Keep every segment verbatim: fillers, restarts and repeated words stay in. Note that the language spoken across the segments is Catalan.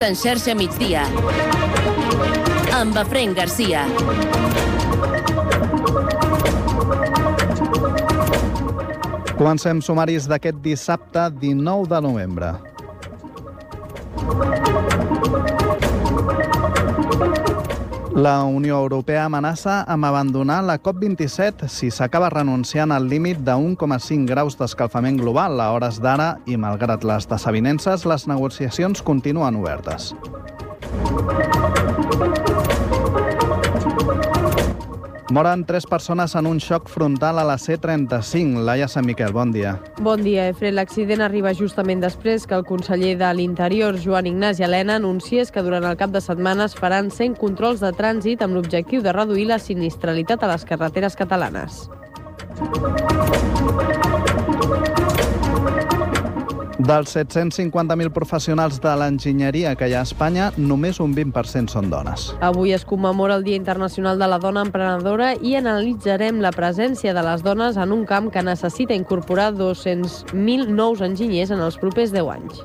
En xarxa migdia, amb Efraïm Garcia. Comencem sumaris d'aquest dissabte dinou de novembre. La Unió Europea amenaça amb abandonar la COP vint-i-set si s'acaba renunciant al límit de un coma cinc graus d'escalfament global a hores d'ara i, malgrat les desavinences, les negociacions continuen obertes. Moren tres persones en un xoc frontal a la C trenta-cinc. Laia Sant Miquel, bon dia. Bon dia, Efre. L'accident arriba justament després que el conseller de l'Interior, Joan Ignasi Elena, anunciés que durant el cap de setmana es faran cent controls de trànsit amb l'objectiu de reduir la sinistralitat a les carreteres catalanes. Dels set-cents cinquanta mil professionals de l'enginyeria que hi ha a Espanya, només un vint per cent són dones. Avui es commemora el Dia Internacional de la Dona Emprenedora i analitzarem la presència de les dones en un camp que necessita incorporar dos-cents mil nous enginyers en els propers deu anys.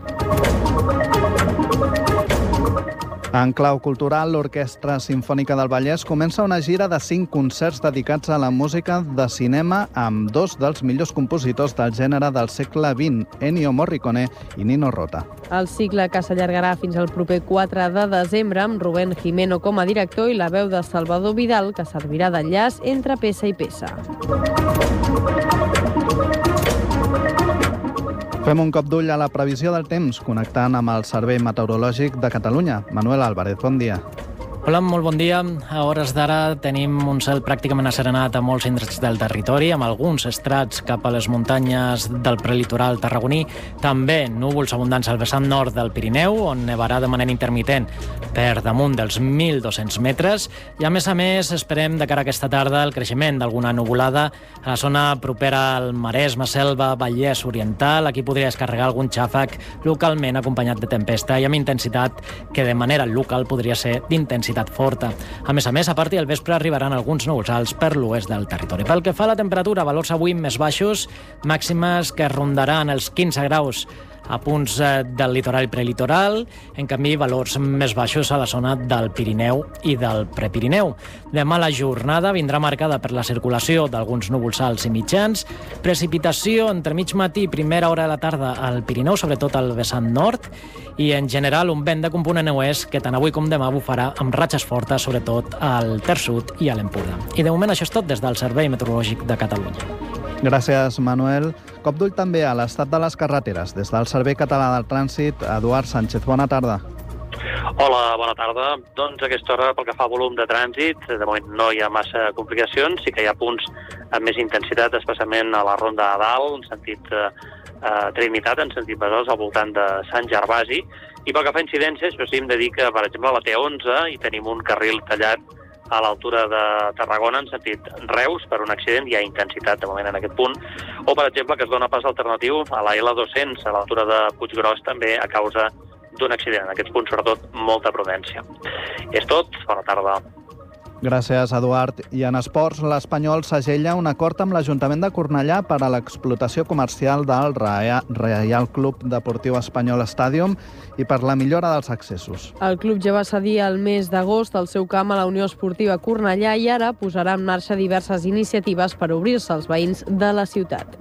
En clau cultural, l'Orquestra Simfònica del Vallès comença una gira de cinc concerts dedicats a la música de cinema amb dos dels millors compositors del gènere del segle vint, Ennio Morricone i Nino Rota. El cicle, que s'allargarà fins al proper quatre de desembre, amb Rubén Jimeno com a director i la veu de Salvador Vidal, que servirà d'enllaç entre peça i peça. Fem un cop d'ull a la previsió del temps, connectant amb el Servei Meteorològic de Catalunya. Manuel Álvarez, bon dia. Hola, molt bon dia. A hores d'ara tenim un cel pràcticament asserenat a molts indrets del territori, amb alguns estrats cap a les muntanyes del prelitoral tarragoní. També núvols abundants al vessant nord del Pirineu, on nevarà de manera intermitent per damunt dels mil dos-cents metres. I a més a més esperem de cara a aquesta tarda el creixement d'alguna nuvolada a la zona propera al Maresme, Selva, Vallès Oriental. Aquí podria descarregar algun xàfec localment acompanyat de tempesta i amb intensitat que de manera local podria ser d'intensitat forta. A més a més, a partir del vespre arribaran alguns núvols alts per l'oest del territori. Pel que fa a la temperatura, valors avui més baixos, màximes que rondaran els quinze graus a punts del litoral i prelitoral, en canvi valors més baixos a la zona del Pirineu i del Prepirineu. Demà la jornada vindrà marcada per la circulació d'alguns núvols alts i mitjans, precipitació entre mig matí i primera hora de la tarda al Pirineu, sobretot al vessant nord, i en general un vent de component oest que tant avui com demà bufarà amb ratxes fortes, sobretot al Ter Sud i a l'Empordà. I de moment això és tot des del Servei Meteorològic de Catalunya. Gràcies, Manuel. Cop d'ull també a l'estat de les carreteres. Des del Servei Català del Trànsit, Eduard Sánchez, bona tarda. Hola, bona tarda. Doncs a aquesta hora, pel que fa a volum de trànsit, de moment no hi ha massa complicacions, sí que hi ha punts amb més intensitat, especialment a la Ronda de Dalt, en sentit eh, Trinitat, en sentit Besòs, al voltant de Sant Gervasi. I pel que fa a incidències, però sí hem de dir que, per exemple, a la T onze hi tenim un carril tallat a l'altura de Tarragona, en sentit Reus, per un accident. Hi ha intensitat de moment en aquest punt. O, per exemple, que es dona pas alternatiu a la L dos-cents, a l'altura de Puiggròs, també a causa d'un accident. En aquests punts, sobretot, molta prudència. És tot. Bona tarda. Gràcies, Eduard. I en esports, l'Espanyol segella un acord amb l'Ajuntament de Cornellà per a l'explotació comercial del Reial Club Deportiu Espanyol Stadium i per la millora dels accessos. El club ja va cedir el mes d'agost el seu camp a la Unió Esportiva Cornellà i ara posarà en marxa diverses iniciatives per obrir-se als veïns de la ciutat.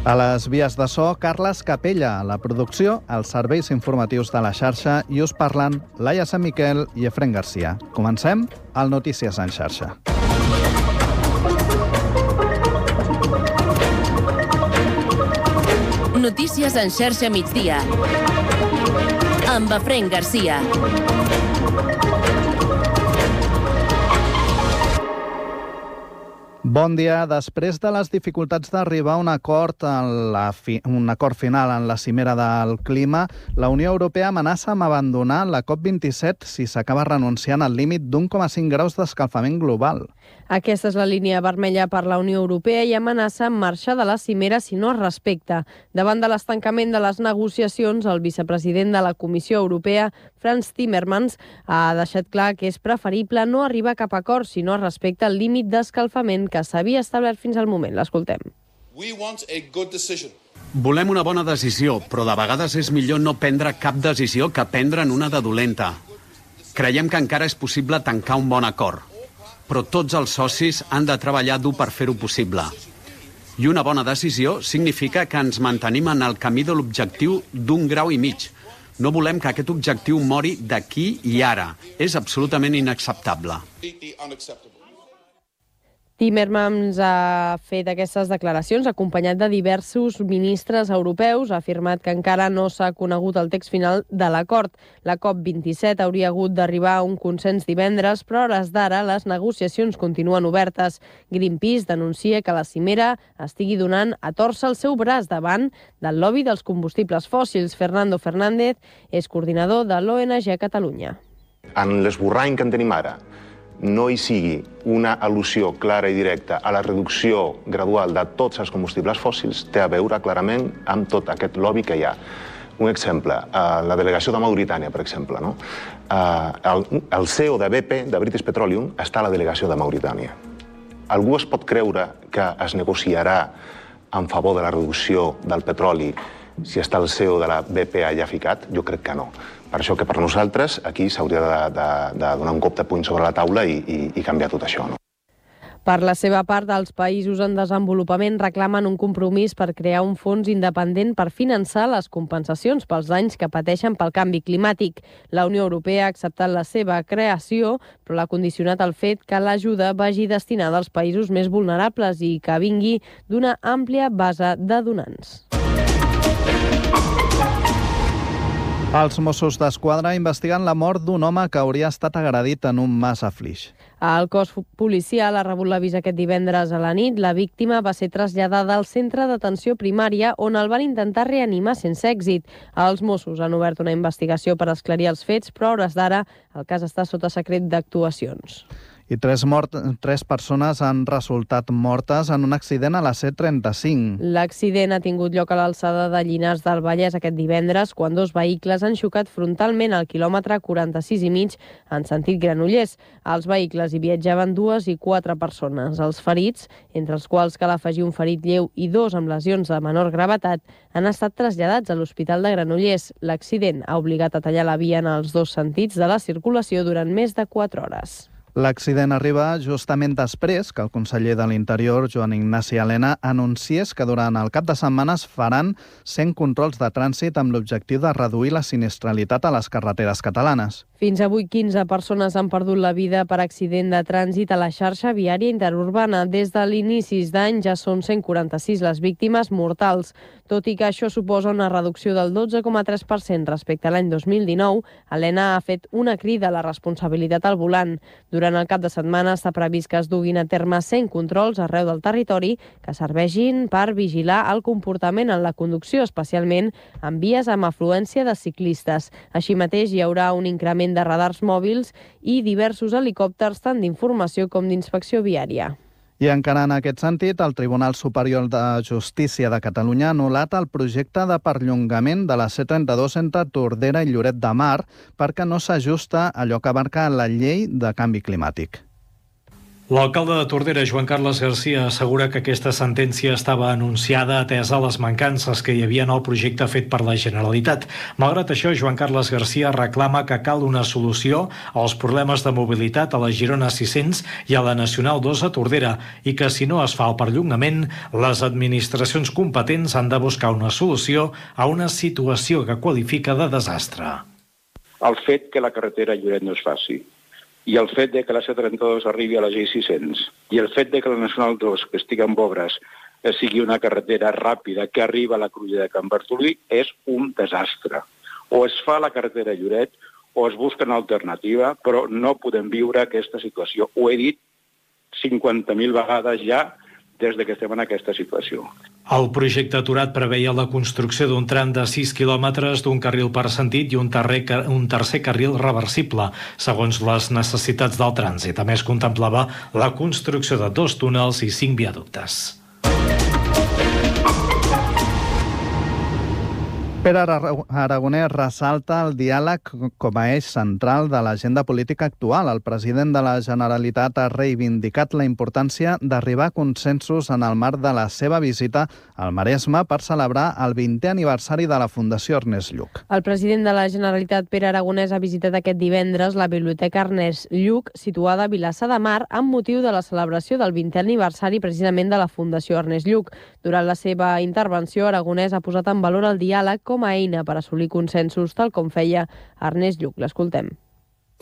A les vies de so, Carles Capella. A la producció, els serveis informatius de la xarxa, i us parlen Laia Sant Miquel i Efraïm Garcia. Comencem al Notícies en xarxa. Notícies en xarxa migdia, amb Efraïm Garcia. Bon dia. Després de les dificultats d'arribar a un acord, en la fi, un acord final en la cimera del clima, la Unió Europea amenaça amb abandonar la COP vint-i-set si s'acaba renunciant al límit d'un coma cinc graus d'escalfament global. Aquesta és la línia vermella per la Unió Europea i amenaça amb marxar de la cimera si no es respecta. Davant de l'estancament de les negociacions, el vicepresident de la Comissió Europea, Frans Timmermans, ha deixat clar que és preferible no arribar a cap acord si no es respecta el límit d'escalfament que s'havia establert fins al moment. L'escoltem. We want a good decision. Volem una bona decisió, però de vegades és millor no prendre cap decisió que prendre'n una de dolenta. Creiem que encara és possible tancar un bon acord, però tots els socis han de treballar dur per fer-ho possible. I una bona decisió significa que ens mantenim en el camí de l'objectiu d'un grau i mig. No volem que aquest objectiu mori d'aquí i ara. És absolutament inacceptable. Timmermans ha fet aquestes declaracions acompanyat de diversos ministres europeus. Ha afirmat que encara no s'ha conegut el text final de l'acord. La COP vint-i-set hauria hagut d'arribar a un consens divendres, però a hores d'ara les negociacions continuen obertes. Greenpeace denuncia que la cimera estigui donant a tòrcer el seu braç davant del lobby dels combustibles fòssils. Fernando Fernández és coordinador de l'O N G a Catalunya. En l'esborrany que en tenim ara, no hi sigui una al·lusió clara i directa a la reducció gradual de tots els combustibles fòssils, té a veure clarament amb tot aquest lobby que hi ha. Un exemple, la delegació de Mauritània, per exemple. No? El, el C E O de B P, de British Petroleum, està a la delegació de Mauritània. Algú es pot creure que es negociarà en favor de la reducció del petroli si està el C E O de la B P allà ficat? Jo crec que no. Per això que per nosaltres aquí s'hauria de, de, de donar un cop de puny sobre la taula i, i, i canviar tot això. No? Per la seva part, els països en desenvolupament reclamen un compromís per crear un fons independent per finançar les compensacions pels danys que pateixen pel canvi climàtic. La Unió Europea ha acceptat la seva creació, però l'ha condicionat al fet que l'ajuda vagi destinada als països més vulnerables i que vingui d'una àmplia base de donants. Els Mossos d'Esquadra investiguen la mort d'un home que hauria estat agredit en un mas a Flix. El cos policial ha rebut l'avís aquest divendres a la nit. La víctima va ser traslladada al centre d'atenció primària on el van intentar reanimar sense èxit. Els Mossos han obert una investigació per esclarir els fets, però a hores d'ara el cas està sota secret d'actuacions. I tres, mort, tres persones han resultat mortes en un accident a la C trenta-cinc. L'accident ha tingut lloc a l'alçada de Llinars del Vallès aquest divendres, quan dos vehicles han xocat frontalment al quilòmetre quaranta-sis i mig en sentit Granollers. Als vehicles hi viatjaven dues i quatre persones. Els ferits, entre els quals cal afegir un ferit lleu i dos amb lesions de menor gravetat, han estat traslladats a l'Hospital de Granollers. L'accident ha obligat a tallar la via en els dos sentits de la circulació durant més de quatre hores. L'accident arriba justament després que el conseller de l'Interior, Joan Ignasi Elena, anunciés que durant el cap de setmana es faran cent controls de trànsit amb l'objectiu de reduir la sinistralitat a les carreteres catalanes. Fins avui quinze persones han perdut la vida per accident de trànsit a la xarxa viària interurbana. Des de l'inicis d'any ja són cent quaranta-sis les víctimes mortals. Tot i que això suposa una reducció del dotze coma tres per cent respecte a l'any dos mil dinou, Elena ha fet una crida a la responsabilitat al volant. Durant el cap de setmana està previst que es duguin a terme cent controls arreu del territori que serveixin per vigilar el comportament en la conducció, especialment en vies amb afluència de ciclistes. Així mateix hi haurà un increment de radars mòbils i diversos helicòpters tant d'informació com d'inspecció viària. I encara en aquest sentit, el Tribunal Superior de Justícia de Catalunya ha anul·lat el projecte de perllongament de la C trenta-dos entre Tordera i Lloret de Mar perquè no s'ajusta a allò que abarca la llei de canvi climàtic. L'alcalde de Tordera, Joan Carles Garcia, assegura que aquesta sentència estava anunciada atesa les mancances que hi havia en el projecte fet per la Generalitat. Malgrat això, Joan Carles Garcia reclama que cal una solució als problemes de mobilitat a la Girona sis-cents i a la Nacional dos a Tordera i que si no es fa el perllongament, les administracions competents han de buscar una solució a una situació que qualifica de desastre. El fet que la carretera Lloret no es faci, i el fet de que la C trenta-dos arribi a la G sis-cents i el fet de que la Nacional dos, que estigui en obres, sigui una carretera ràpida que arriba a la cruïlla de Can Bartolí és un desastre. O es fa la carretera Lloret o es busca una alternativa, però no podem viure aquesta situació. Ho he dit cinquanta mil vegades ja des que estem en aquesta situació. El projecte aturat preveia la construcció d'un tram de sis quilòmetres d'un carril per sentit i un, terrer, un tercer carril reversible, segons les necessitats del trànsit. A més, contemplava la construcció de dos túnels i cinc viaductes. Pere Aragonès ressalta el diàleg com a eix central de l'agenda política actual. El president de la Generalitat ha reivindicat la importància d'arribar a consensos en el marc de la seva visita al Maresme per celebrar el vintè aniversari de la Fundació Ernest Lluch. El president de la Generalitat, Pere Aragonès, ha visitat aquest divendres la Biblioteca Ernest Lluch, situada a Vilassar de Mar, amb motiu de la celebració del vintè aniversari precisament de la Fundació Ernest Lluch. Durant la seva intervenció, Aragonès ha posat en valor el diàleg com a eina per assolir consensos, tal com feia Ernest Lluch. L'escoltem.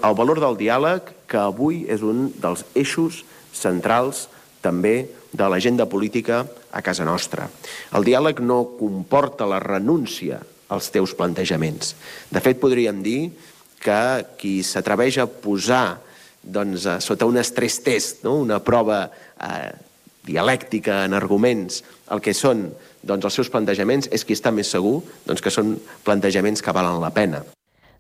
El valor del diàleg, que avui és un dels eixos centrals també de l'agenda política a casa nostra. El diàleg no comporta la renúncia als teus plantejaments. De fet, podríem dir que qui s'atreveix a posar doncs, sota un estrès test, no? una prova eh, dialèctica en arguments, el que són doncs, els seus plantejaments, és qui està més segur doncs, que són plantejaments que valen la pena.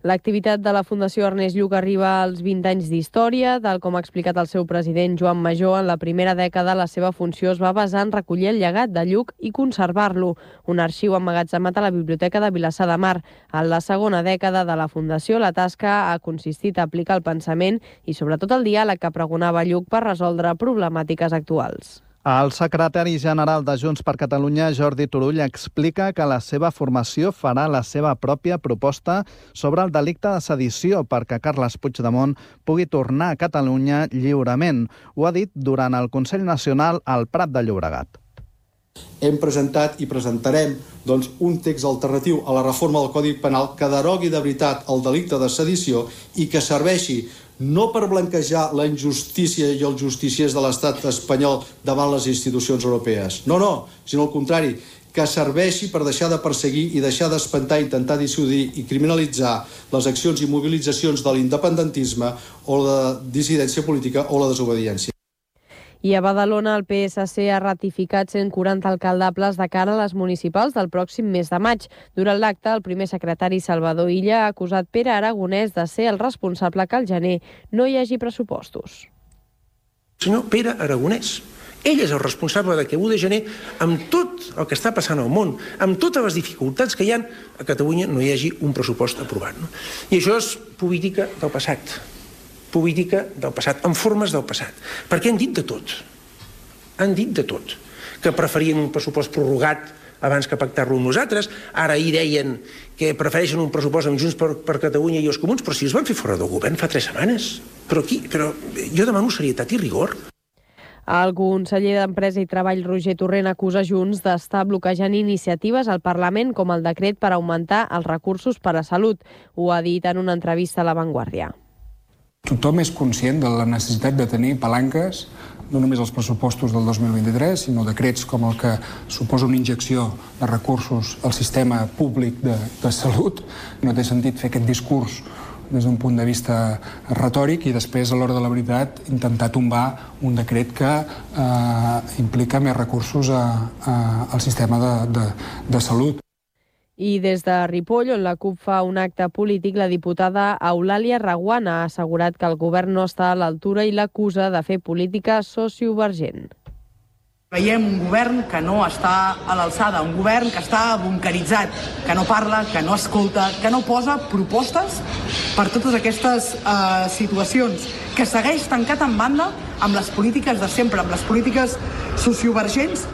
L'activitat de la Fundació Ernest Lluch arriba als vint anys d'història. Tal com ha explicat el seu president Joan Majó, en la primera dècada la seva funció es va basar en recollir el llegat de Lluch i conservar-lo, un arxiu emmagatzemat a la Biblioteca de Vilassar de Mar. En la segona dècada de la Fundació, la tasca ha consistit a aplicar el pensament i sobretot el diàleg que pregonava Lluch per resoldre problemàtiques actuals. El secretari general de Junts per Catalunya, Jordi Turull, explica que la seva formació farà la seva pròpia proposta sobre el delicte de sedició perquè Carles Puigdemont pugui tornar a Catalunya lliurement. Ho ha dit durant el Consell Nacional al Prat de Llobregat. Hem presentat i presentarem doncs, un text alternatiu a la reforma del Codi Penal que derogui de veritat el delicte de sedició i que serveixi no per blanquejar la injustícia i els justiciers de l'estat espanyol davant les institucions europees. No, no, sinó al contrari, que serveixi per deixar de perseguir i deixar d'espantar, intentar dissuadir i criminalitzar les accions i mobilitzacions de l'independentisme o la dissidència política o la desobediència. I a Badalona el P S C ha ratificat cent quaranta alcaldables de cara a les municipals del pròxim mes de maig. Durant l'acte, el primer secretari Salvador Illa ha acusat Pere Aragonès de ser el responsable que al gener no hi hagi pressupostos. Senyor Pere Aragonès, ell és el responsable de que l'u de gener, amb tot el que està passant al món, amb totes les dificultats que hi ha, a Catalunya no hi hagi un pressupost aprovat. No? I això és política del passat. política del passat, en formes del passat. Perquè han dit de tot. Han dit de tot. Que preferien un pressupost prorrogat abans que pactar-lo amb nosaltres. Ara ahir deien que prefereixen un pressupost amb Junts per, per Catalunya i els Comuns, però si els van fer fora del govern fa tres setmanes. Però aquí, però jo demano serietat i rigor. El conseller d'Empresa i Treball, Roger Torrent, acusa Junts d'estar bloquejant iniciatives al Parlament com el decret per augmentar els recursos per a salut. Ho ha dit en una entrevista a La Vanguardia. Tothom és conscient de la necessitat de tenir palanques, no només els pressupostos del dos mil vint-i-tres, sinó decrets com el que suposa una injecció de recursos al sistema públic de, de salut. No té sentit fer aquest discurs des d'un punt de vista retòric i després, a l'hora de la veritat, intentar tombar un decret que eh, implica més recursos a, a, al sistema de, de, de salut. I des de Ripoll, on la CUP fa un acte polític, la diputada Eulàlia Reguant ha assegurat que el govern no està a l'altura i l'acusa de fer política sociovergent. Veiem un govern que no està a l'alçada, un govern que està bunkeritzat, que no parla, que no escolta, que no posa propostes per totes aquestes uh, situacions, que segueix tancat en banda amb les polítiques de sempre, amb les polítiques sociovergents.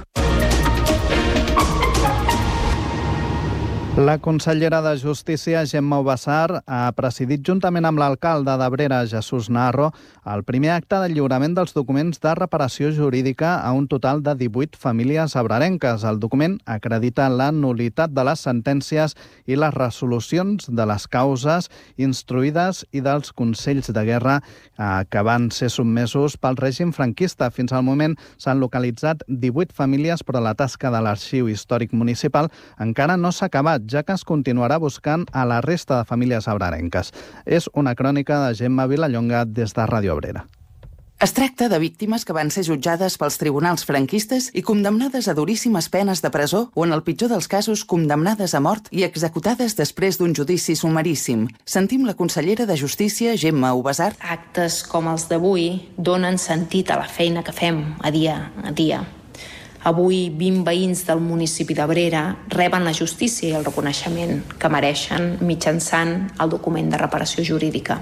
La consellera de Justícia, Gemma Ubassar, ha presidit juntament amb l'alcalde d'Abrera, Jesús Narro, el primer acte de lliurament dels documents de reparació jurídica a un total de divuit famílies abrerenques. El document acredita la nul·litat de les sentències i les resolucions de les causes instruïdes i dels consells de guerra eh, que van ser sotmesos pel règim franquista. Fins al moment s'han localitzat divuit famílies, però la tasca de l'Arxiu Històric Municipal encara no s'ha acabat, ja que es continuarà buscant a la resta de famílies abrerenques. És una crònica de Gemma Vilallonga des de Ràdio Abrera. Es tracta de víctimes que van ser jutjades pels tribunals franquistes i condemnades a duríssimes penes de presó o, en el pitjor dels casos, condemnades a mort i executades després d'un judici sumaríssim. Sentim la consellera de Justícia, Gemma Ubassar. Actes com els d'avui donen sentit a la feina que fem a dia a dia. Avui, vint veïns del municipi d'Abrera reben la justícia i el reconeixement que mereixen mitjançant el document de reparació jurídica.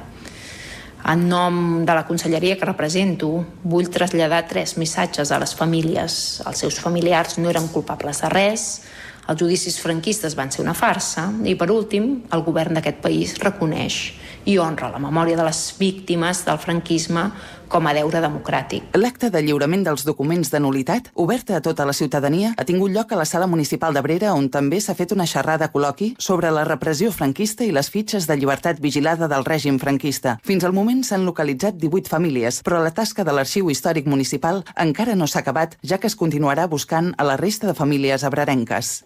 En nom de la conselleria que represento, vull traslladar tres missatges a les famílies. Els seus familiars no eren culpables de res, els judicis franquistes van ser una farsa i, per últim, el govern d'aquest país reconeix i honra la memòria de les víctimes del franquisme com a deure democràtic. L'acte de lliurament dels documents de nul·litat, oberta a tota la ciutadania, ha tingut lloc a la Sala Municipal d'Abrera, on també s'ha fet una xerrada col·loqui sobre la repressió franquista i les fitxes de llibertat vigilada del règim franquista. Fins al moment s'han localitzat divuit famílies, però la tasca de l'Arxiu Històric Municipal encara no s'ha acabat, ja que es continuarà buscant a la resta de famílies abrerenques.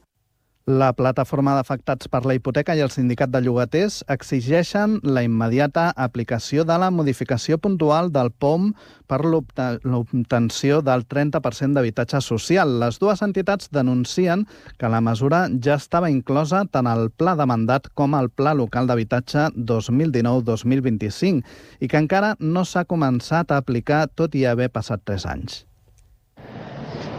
La plataforma d'afectats per la hipoteca i el sindicat de llogaters exigeixen la immediata aplicació de la modificació puntual del P O M per l'obtenció del trenta per cent d'habitatge social. Les dues entitats denuncien que la mesura ja estava inclosa tant al Pla de Mandat com al Pla Local d'Habitatge dos mil dinou dos mil vint-i-cinc i que encara no s'ha començat a aplicar tot i haver passat tres anys.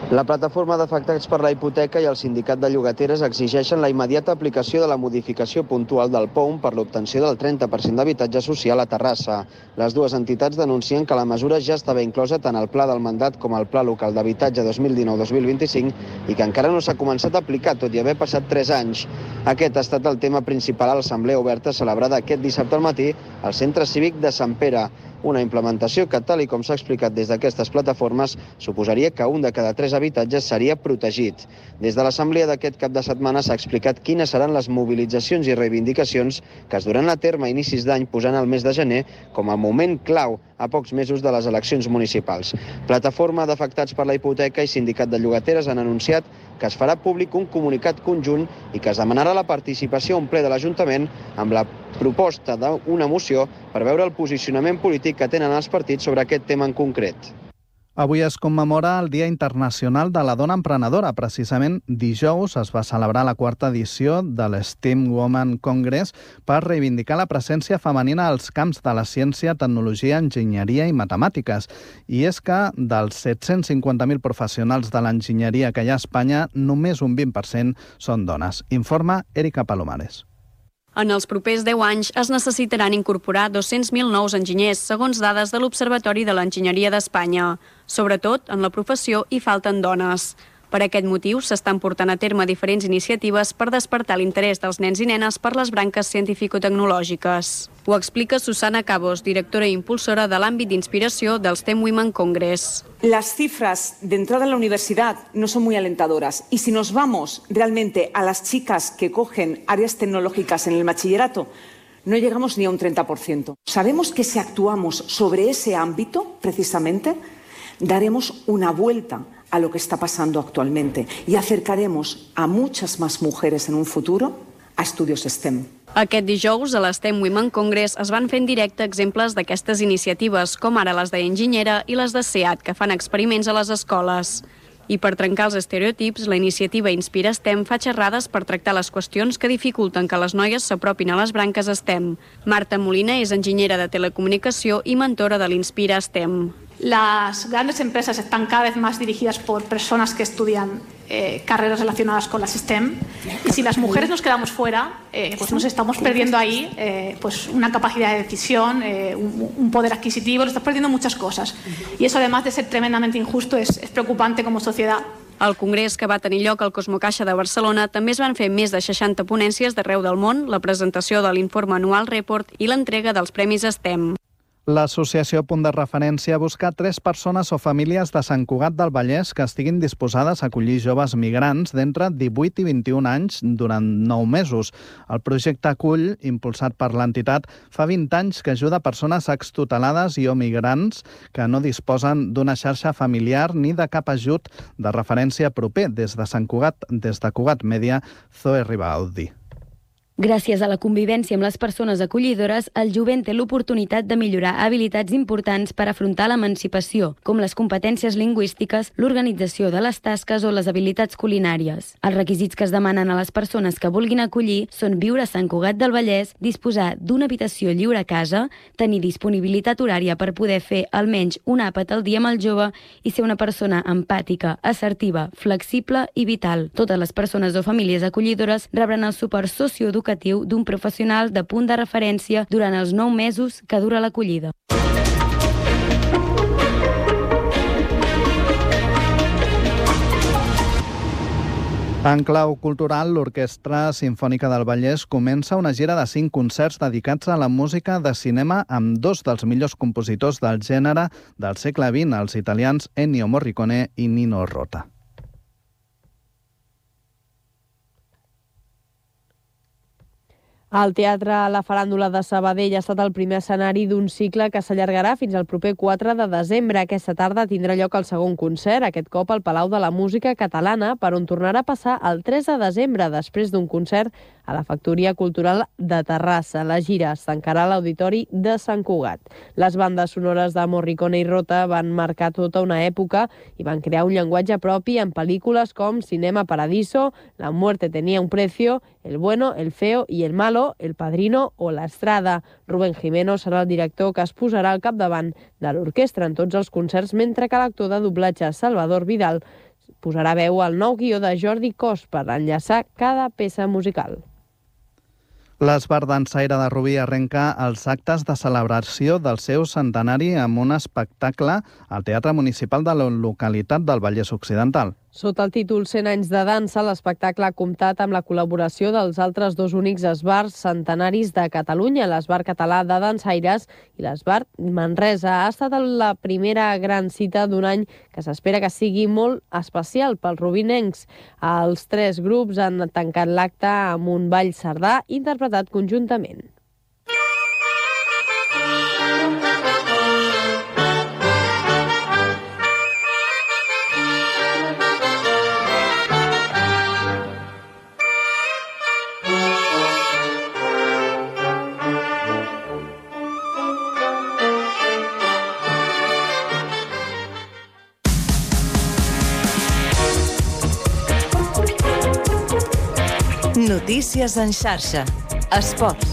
La plataforma d'afectats per la hipoteca i el sindicat de llogateres exigeixen la immediata aplicació de la modificació puntual del P O M per l'obtenció del trenta per cent d'habitatge social a Terrassa. Les dues entitats denuncien que la mesura ja estava inclosa tant al Pla del Mandat com al Pla Local d'Habitatge dos mil dinou dos mil vint-i-cinc i que encara no s'ha començat a aplicar, tot i haver passat tres anys. Aquest ha estat el tema principal a l'assemblea oberta celebrada aquest dissabte al matí al Centre Cívic de Sant Pere. Una implementació que, tal i com s'ha explicat des d'aquestes plataformes, suposaria que un de cada tres habitatges seria protegit. Des de l'assemblea d'aquest cap de setmana s'ha explicat quines seran les mobilitzacions i reivindicacions que es duran a terme a inicis d'any, posant el mes de gener com a moment clau a pocs mesos de les eleccions municipals. Plataforma d'afectats per la hipoteca i sindicat de llogateres han anunciat que es farà públic un comunicat conjunt i que es demanarà la participació a un ple de l'Ajuntament amb la proposta d'una moció per veure el posicionament polític que tenen els partits sobre aquest tema en concret. Avui es commemora el Dia Internacional de la Dona Emprenedora. Precisament dijous es va celebrar la quarta edició de l'Steam Women Congress per reivindicar la presència femenina als camps de la ciència, tecnologia, enginyeria i matemàtiques. I és que dels set-cents cinquanta mil professionals de l'enginyeria que hi ha a Espanya, només un vint per cent són dones. Informa Erika Palomares. En els propers deu anys es necessitaran incorporar dos-cents mil nous enginyers, segons dades de l'Observatori de l'Enginyeria d'Espanya. Sobretot, en la professió hi falten dones. Per aquest motiu, s'estan portant a terme diferents iniciatives per despertar l'interès dels nens i nenes per les branques científico-tecnològiques. Ho explica Susana Cabos, directora i impulsora de l'àmbit d'inspiració del STEM Women Congress. Las cifras de entrada en la universidad no son muy alentadoras y si nos vamos realmente a las chicas que cogen áreas tecnológicas en el bachillerato, no llegamos ni a un treinta por ciento. Sabemos que si actuamos sobre ese ámbito, precisamente, daremos una vuelta a lo que está pasando actualmente y acercaremos a muchas más mujeres en un futuro a estudios STEM. Aquest dijous, a l'STEM Women Congress, es van fer en directe exemples d'aquestes iniciatives, com ara les d'Enginyera i les de SEAT, que fan experiments a les escoles. I per trencar els estereotips, la iniciativa Inspira STEM fa xerrades per tractar les qüestions que dificulten que les noies s'apropin a les branques STEM. Marta Molina és enginyera de telecomunicació i mentora de l'Inspira STEM. Las grandes empresas están cada vez más dirigidas por personas que estudian eh, carreras relacionadas con las STEM y si las mujeres nos quedamos fuera, eh, pues nos estamos perdiendo ahí eh, pues una capacidad de decisión, eh, un, un poder adquisitivo, nos estamos perdiendo muchas cosas y eso además de ser tremendamente injusto es, es preocupante como sociedad. Al congrés que va tenir lloc al Cosmocaixa de Barcelona també es van fer més de seixanta ponències d'arreu del món, la presentació de l'informe anual Report i l'entrega dels Premis STEM. L'associació Punt de Referència busca tres persones o famílies de Sant Cugat del Vallès que estiguin disposades a acollir joves migrants d'entre divuit i vint-i-un anys durant nou mesos. El projecte Acull, impulsat per l'entitat, fa vint anys que ajuda persones extutelades i o migrants que no disposen d'una xarxa familiar ni de cap ajut de referència proper. Des de Sant Cugat, des de Cugat Mèdia, Zoe Ribaldi. Gràcies a la convivència amb les persones acollidores, el jovent té l'oportunitat de millorar habilitats importants per afrontar l'emancipació, com les competències lingüístiques, l'organització de les tasques o les habilitats culinàries. Els requisits que es demanen a les persones que vulguin acollir són viure a Sant Cugat del Vallès, disposar d'una habitació lliure a casa, tenir disponibilitat horària per poder fer almenys un àpat al dia amb el jove i ser una persona empàtica, assertiva, flexible i vital. Totes les persones o famílies acollidores rebran el suport socioeducatiu d'un professional de punt de referència durant els nou mesos que dura l'acollida. En clau cultural, l'Orquestra Simfònica del Vallès comença una gira de cinc concerts dedicats a la música de cinema amb dos dels millors compositors del gènere del segle vint, els italians Ennio Morricone i Nino Rota. El Teatre La Faràndula de Sabadell ha estat el primer escenari d'un cicle que s'allargarà fins al proper quatre de desembre. Aquesta tarda tindrà lloc el segon concert, aquest cop al Palau de la Música Catalana, per on tornarà a passar el tres de desembre, després d'un concert a la Factoria Cultural de Terrassa. La gira es tancarà a l'Auditori de Sant Cugat. Les bandes sonores de Morricone i Rota van marcar tota una època i van crear un llenguatge propi en pel·lícules com Cinema Paradiso, La muerte tenía un precio, El bueno, el feo i el malo, El padrino o La Estrada. Rubén Jimeno serà el director que es posarà al capdavant de l'orquestra en tots els concerts, mentre que l'actor de doblatge Salvador Vidal posarà veu al nou guió de Jordi Cos per enllaçar cada peça musical. L'Esbart Dansaire de Rubí arrenca els actes de celebració del seu centenari amb un espectacle al Teatre Municipal de la localitat del Vallès Occidental. Sota el títol cent anys de dansa, l'espectacle ha comptat amb la col·laboració dels altres dos únics esbarts centenaris de Catalunya, l'Esbart Català de Dansaires i l'Esbart Manresa. Ha estat la primera gran cita d'un any que s'espera que sigui molt especial pels rubinencs. Els tres grups han tancat l'acte amb un ball sardà interpretat conjuntament. Notícies en xarxa. Esports.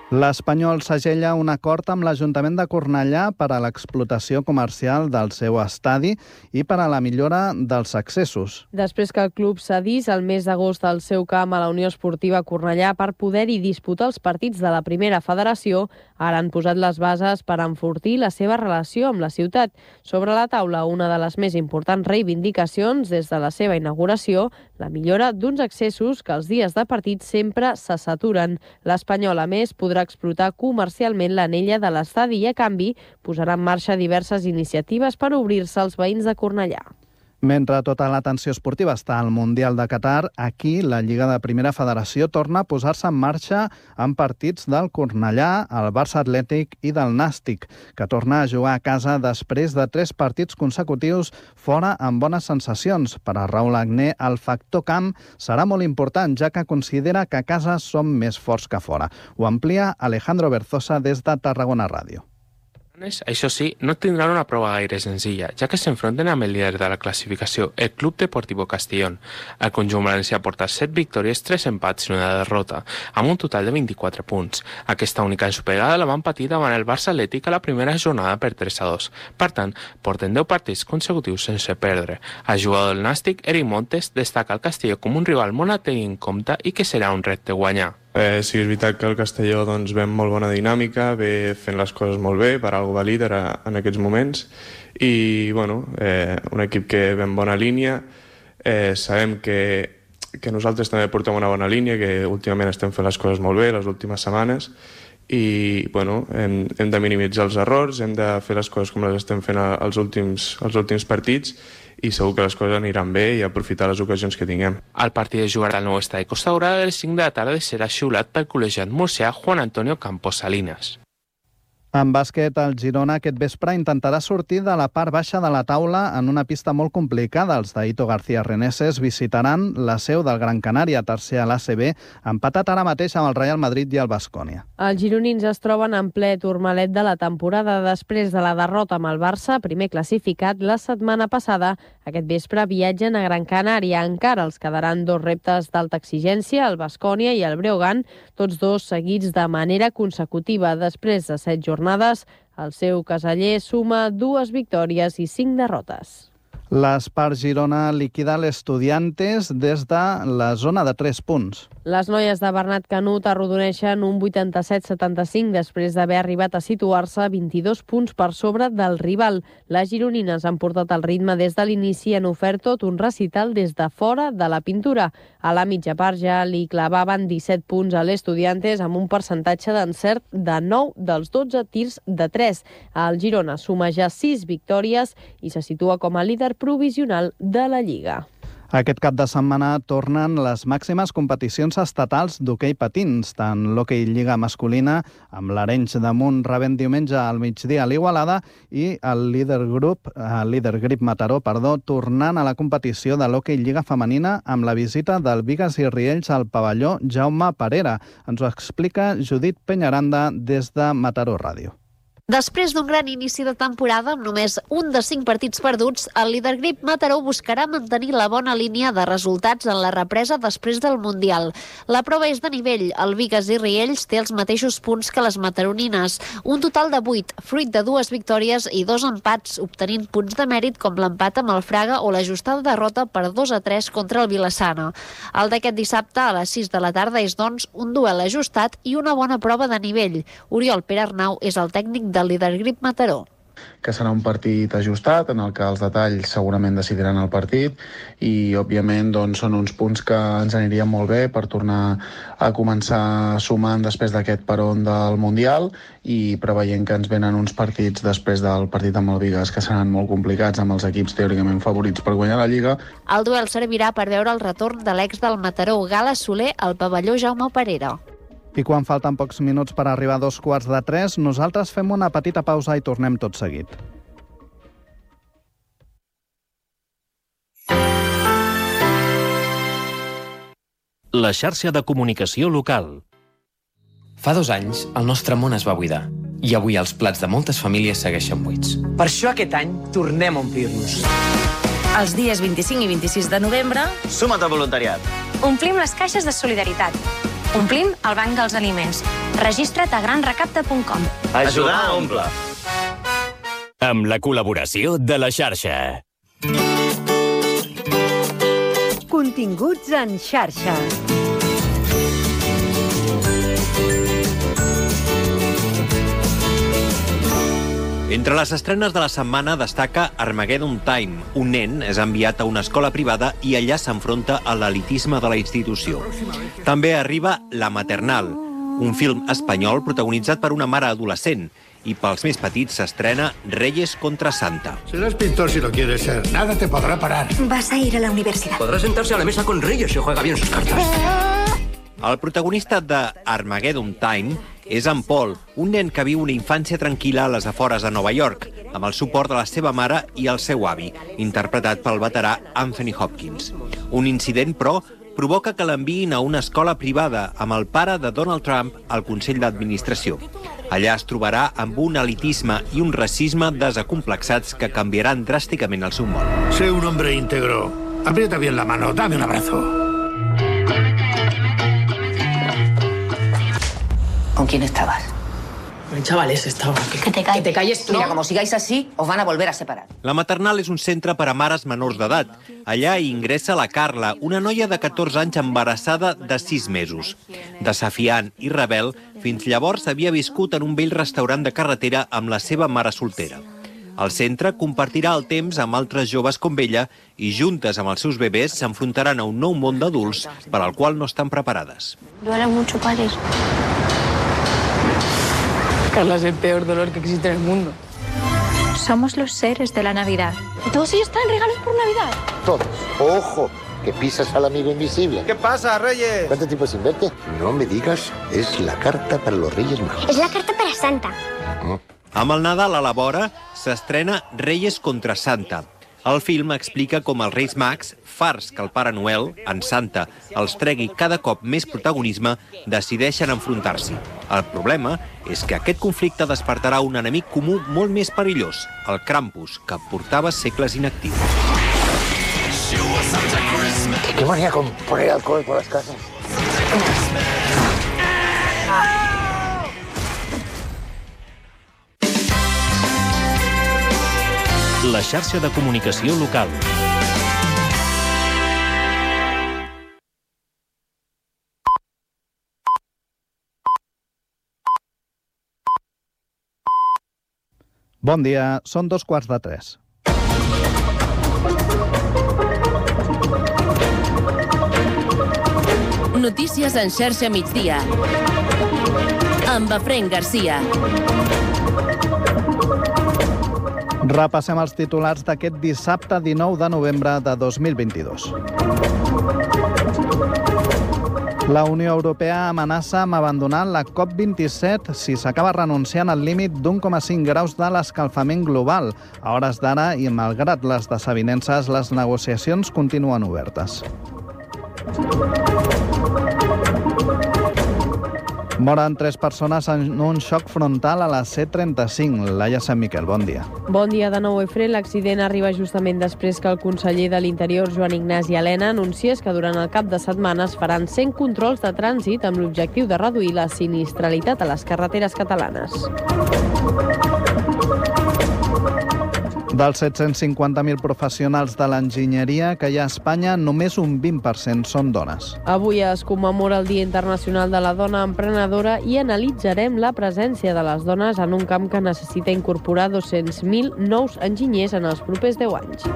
L'Espanyol segella un acord amb l'Ajuntament de Cornellà per a l'explotació comercial del seu estadi i per a la millora dels accessos. Després que el club cedís el mes d'agost el seu camp a la Unió Esportiva Cornellà per poder-hi disputar els partits de la primera federació, ara han posat les bases per enfortir la seva relació amb la ciutat. Sobre la taula, una de les més importants reivindicacions des de la seva inauguració, la millora d'uns accessos que els dies de partit sempre se saturen. L'Espanyol, a més, podrà explotar comercialment l'anella de l'estadi i, a canvi, posarà en marxa diverses iniciatives per obrir-se als veïns de Cornellà. Mentre tota l'atenció esportiva està al Mundial de Qatar, aquí la Lliga de Primera Federació torna a posar-se en marxa amb partits del Cornellà, el Barça Atlètic i del Nàstic, que torna a jugar a casa després de tres partits consecutius fora amb bones sensacions. Per a Raül Agné, el factor camp serà molt important, ja que considera que a casa som més forts que fora. Ho amplia Alejandro Berzosa des de Tarragona Ràdio. Això sí, no tindran una prova gaire senzilla, ja que s'enfronten amb el líder de la classificació, el Club Deportivo Castellón. El conjunt valencià porta set victòries, tres empats i una derrota, amb un total de vint-i-quatre punts. Aquesta única ensopegada la van patir davant el Barça Atlètic a la primera jornada per tres a dos. Per tant, porten deu partits consecutius sense perdre. El jugador del Nàstic, Eric Montes, destaca el Castelló com un rival molt a tenir en compte i que serà un repte guanyar. Eh, sí, és veritat que el Castelló doncs, ve amb molt bona dinàmica, ve fent les coses molt bé, per algo va líder a, en aquests moments, i bueno, eh, un equip que ve en bona línia. Eh, sabem que, que nosaltres també portem una bona línia, que últimament estem fent les coses molt bé les últimes setmanes, i bueno, hem, hem de minimitzar els errors, hem de fer les coses com les estem fent als últims, als últims partits, i segur que les coses aniran bé i aprofitar les ocasions que tinguem. El partit es jugarà al nou estadi Costa Daurada a les cinc de la tarda i serà xiulat pel col·legiat murcià Juan Antonio Campos Salinas. En bàsquet, el Girona aquest vespre intentarà sortir de la part baixa de la taula en una pista molt complicada. Els d'Aito García Reneses visitaran la seu del Gran Canària, tercer a l'A C B, empatat ara mateix amb el Real Madrid i el Baskonia. Els gironins es troben en ple turmalet de la temporada després de la derrota amb el Barça, primer classificat la setmana passada. Aquest vespre viatgen a Gran Canària. Encara els quedaran dos reptes d'alta exigència, el Baskonia i el Breogán, tots dos seguits de manera consecutiva. Després de set jornades, el seu caseller suma dues victòries i cinc derrotes. L'Espart Girona liquida l'Estudiantes des de la zona de tres punts. Les noies de Bernat Canut arrodoneixen un vuitanta-set setanta-cinc després d'haver arribat a situar-se vint-i-dos punts per sobre del rival. Les gironines han portat el ritme des de l'inici i han ofert tot un recital des de fora de la pintura. A la mitja part ja li clavaven disset punts a l'Estudiantes amb un percentatge d'encert de nou dels dotze tirs de tres. El Girona suma ja sis victòries i se situa com a líder provisional de la Lliga. Aquest cap de setmana tornen les màximes competicions estatals d'hoquei patins, tant l'hoquei Lliga masculina, amb l'Arenys de Munt rebent diumenge al migdia a l'Igualada, i el líder grup, el líder Grip Mataró, perdó, tornant a la competició de l'hoquei Lliga femenina amb la visita del Bigues i Riells al pavelló Jaume Parera. Ens ho explica Judit Peñaranda des de Mataró Ràdio. Després d'un gran inici de temporada amb només un de cinc partits perduts, el líder Grip Mataró buscarà mantenir la bona línia de resultats en la represa després del Mundial. La prova és de nivell. El Bigues i Riells té els mateixos punts que les mataronines, un total de vuit, fruit de dues victòries i dos empats, obtenint punts de mèrit com l'empat amb el Fraga o l'ajustada derrota per dos a tres contra el Vilassana. El d'aquest dissabte a les sis de la tarda és, doncs, un duel ajustat i una bona prova de nivell. Oriol Pere Arnau és el tècnic de del líder Grip Mataró. Que serà un partit ajustat en el que els detalls segurament decidiran el partit i, òbviament, doncs, són uns punts que ens anirien molt bé per tornar a començar sumant després d'aquest peron del Mundial i preveient que ens venen uns partits després del partit amb el Bigues que seran molt complicats amb els equips teòricament favorits per guanyar la Lliga. El duel servirà per veure el retorn de l'ex del Mataró, Gala Soler, al pavelló Jaume Parera. I quan falten pocs minuts per arribar a dos quarts de tres, nosaltres fem una petita pausa i tornem tot seguit. La xarxa de comunicació local. Fa dos anys, el nostre món es va buidar. I avui els plats de moltes famílies segueixen buits. Per això aquest any tornem a omplir-nos. Els dies vint-i-cinc i vint-i-sis de novembre... Suma't al voluntariat. Omplim les caixes de solidaritat. Omplim el banc dels aliments. Registra't a gran recapte punt com. Ajudar a omple. Amb la col·laboració de la xarxa. Continguts en xarxa. Entre les estrenes de la setmana destaca Armageddon Time. Un nen és enviat a una escola privada i allà s'enfronta a l'elitisme de la institució. També arriba La Maternal, un film espanyol protagonitzat per una mare adolescent, i pels més petits s'estrena Reyes contra Santa. Serás pintor si lo quieres ser. Nada te podrá parar. Vas a ir a la universidad. Podrá sentarse a la mesa con Reyes si juega bien sus cartas. El protagonista de Armageddon Time és en Paul, un nen que viu una infància tranquil·la a les afores de Nova York, amb el suport de la seva mare i el seu avi, interpretat pel veterà Anthony Hopkins. Un incident, però, provoca que l'enviïn a una escola privada amb el pare de Donald Trump al Consell d'Administració. Allà es trobarà amb un elitisme i un racisme desacomplexats que canviaran dràsticament el seu món. Sé un hombre íntegro. Aprieta bien la mano, dame un abrazo. ¿Con quién estabas? El chaval ese estaba. Que, que te calles. Que te calles tú. Mira, como sigáis así, os van a volver a separar. La Maternal és un centre per a mares menors d'edat. Allà hi ingressa la Carla, una noia de catorze anys embarassada de sis mesos. Desafiant i rebel, fins llavors havia viscut en un vell restaurant de carretera amb la seva mare soltera. El centre compartirà el temps amb altres joves com ella i juntes amb els seus bebès s'enfrontaran a un nou món d'adults per al qual no estan preparades. Duele mucho parir. Carla es el peor dolor que existe en el mundo. Somos los seres de la Navidad. ¿Todos ellos traen regalos por Navidad? Todos. Ojo, que pisas al amigo invisible. ¿Qué pasa, Reyes? ¿Cuánto tiempo sin verte? No me digas, es la carta para los Reyes Magos. Es la carta para Santa. Oh. Amb el Nadal a la vora s'estrena Reyes contra Santa. El film explica com els Reis Mags, farts que el Pare Noel, en Santa, els tregui cada cop més protagonisme, decideixen enfrontar-s'hi. El problema és que aquest conflicte despertarà un enemic comú molt més perillós, el Krampus, que portava segles inactiu. ¿Qué manía con poner alcohol por las casas? La xarxa de comunicació local. Bon dia, són dos quarts de tres. Notícies en xarxa migdia. Amb Efraïm Garcia. Repassem els titulars d'aquest dissabte dinou de novembre de dos mil vint-i-dos. La Unió Europea amenaça amb abandonar la COP vint-i-set si s'acaba renunciant al límit d'un coma cinc graus de l'escalfament global. A hores d'ara, i malgrat les desavinences, les negociacions continuen obertes. Moren tres persones en un xoc frontal a la C trenta-cinc. Laia Sant Miquel, bon dia. Bon dia de nou, Efraïm. L'accident arriba justament després que el conseller de l'Interior, Joan Ignasi Elena, anunciés que durant el cap de setmana es faran cent controls de trànsit amb l'objectiu de reduir la sinistralitat a les carreteres catalanes. Dels set-cents cinquanta mil professionals de l'enginyeria que hi ha a Espanya, només un vint per cent són dones. Avui es commemora el Dia Internacional de la Dona Emprenedora i analitzarem la presència de les dones en un camp que necessita incorporar dos-cents mil nous enginyers en els propers deu anys.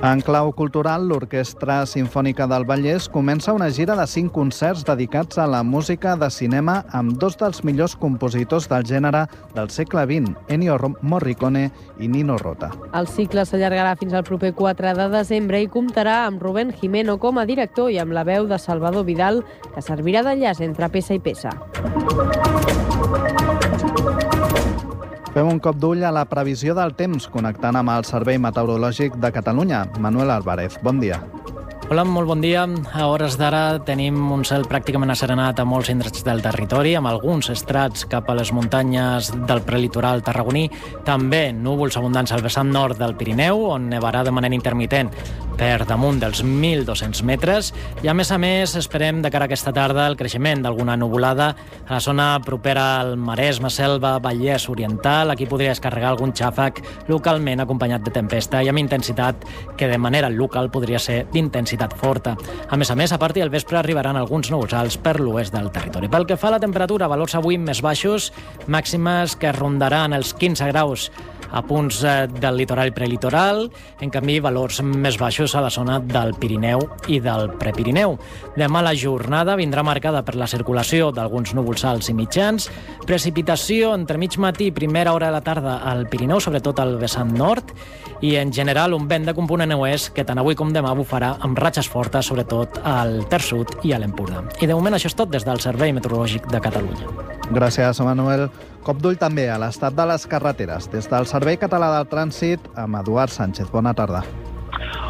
En clau cultural, l'Orquestra Simfònica del Vallès comença una gira de cinc concerts dedicats a la música de cinema amb dos dels millors compositors del gènere del segle vint, Ennio Morricone i Nino Rota. El cicle s'allargarà fins al proper quatre de desembre i comptarà amb Rubén Jimeno com a director i amb la veu de Salvador Vidal, que servirà d'enllaç entre peça i peça. Fem un cop d'ull a la previsió del temps, connectant amb el Servei Meteorològic de Catalunya. Manuel Álvarez, bon dia. Hola, molt bon dia. A hores d'ara tenim un cel pràcticament asserenat a molts indrets del territori, amb alguns estrats cap a les muntanyes del prelitoral tarragoní. També núvols abundants al vessant nord del Pirineu, on nevarà de manera intermitent per damunt dels mil dos-cents metres. I a més a més esperem de cara a aquesta tarda el creixement d'alguna nuvolada a la zona propera al Maresme, Selva, Vallès Oriental. Aquí podria descarregar algun xàfec localment acompanyat de tempesta i amb intensitat que de manera local podria ser d'intensitat forta. A més a més, a partir del vespre arribaran alguns núvols alts per l'oest del territori. Pel que fa a la temperatura, valors avui més baixos, màximes que rondaran els quinze graus a punts del litoral i prelitoral, en canvi valors més baixos a la zona del Pirineu i del Prepirineu. Demà la jornada vindrà marcada per la circulació d'alguns núvols alts i mitjans, precipitació entre mig matí i primera hora de la tarda al Pirineu, sobretot al vessant nord, i en general un vent de component oest que tant avui com demà bufarà amb ratxes fortes, sobretot al Ter Sud i a l'Empordà. I de moment això és tot des del Servei Meteorològic de Catalunya. Gràcies, Manuel. Cop d'ull també a l'estat de les carreteres. Des del Servei Català del Trànsit, amb Eduard Sánchez. Bona tarda.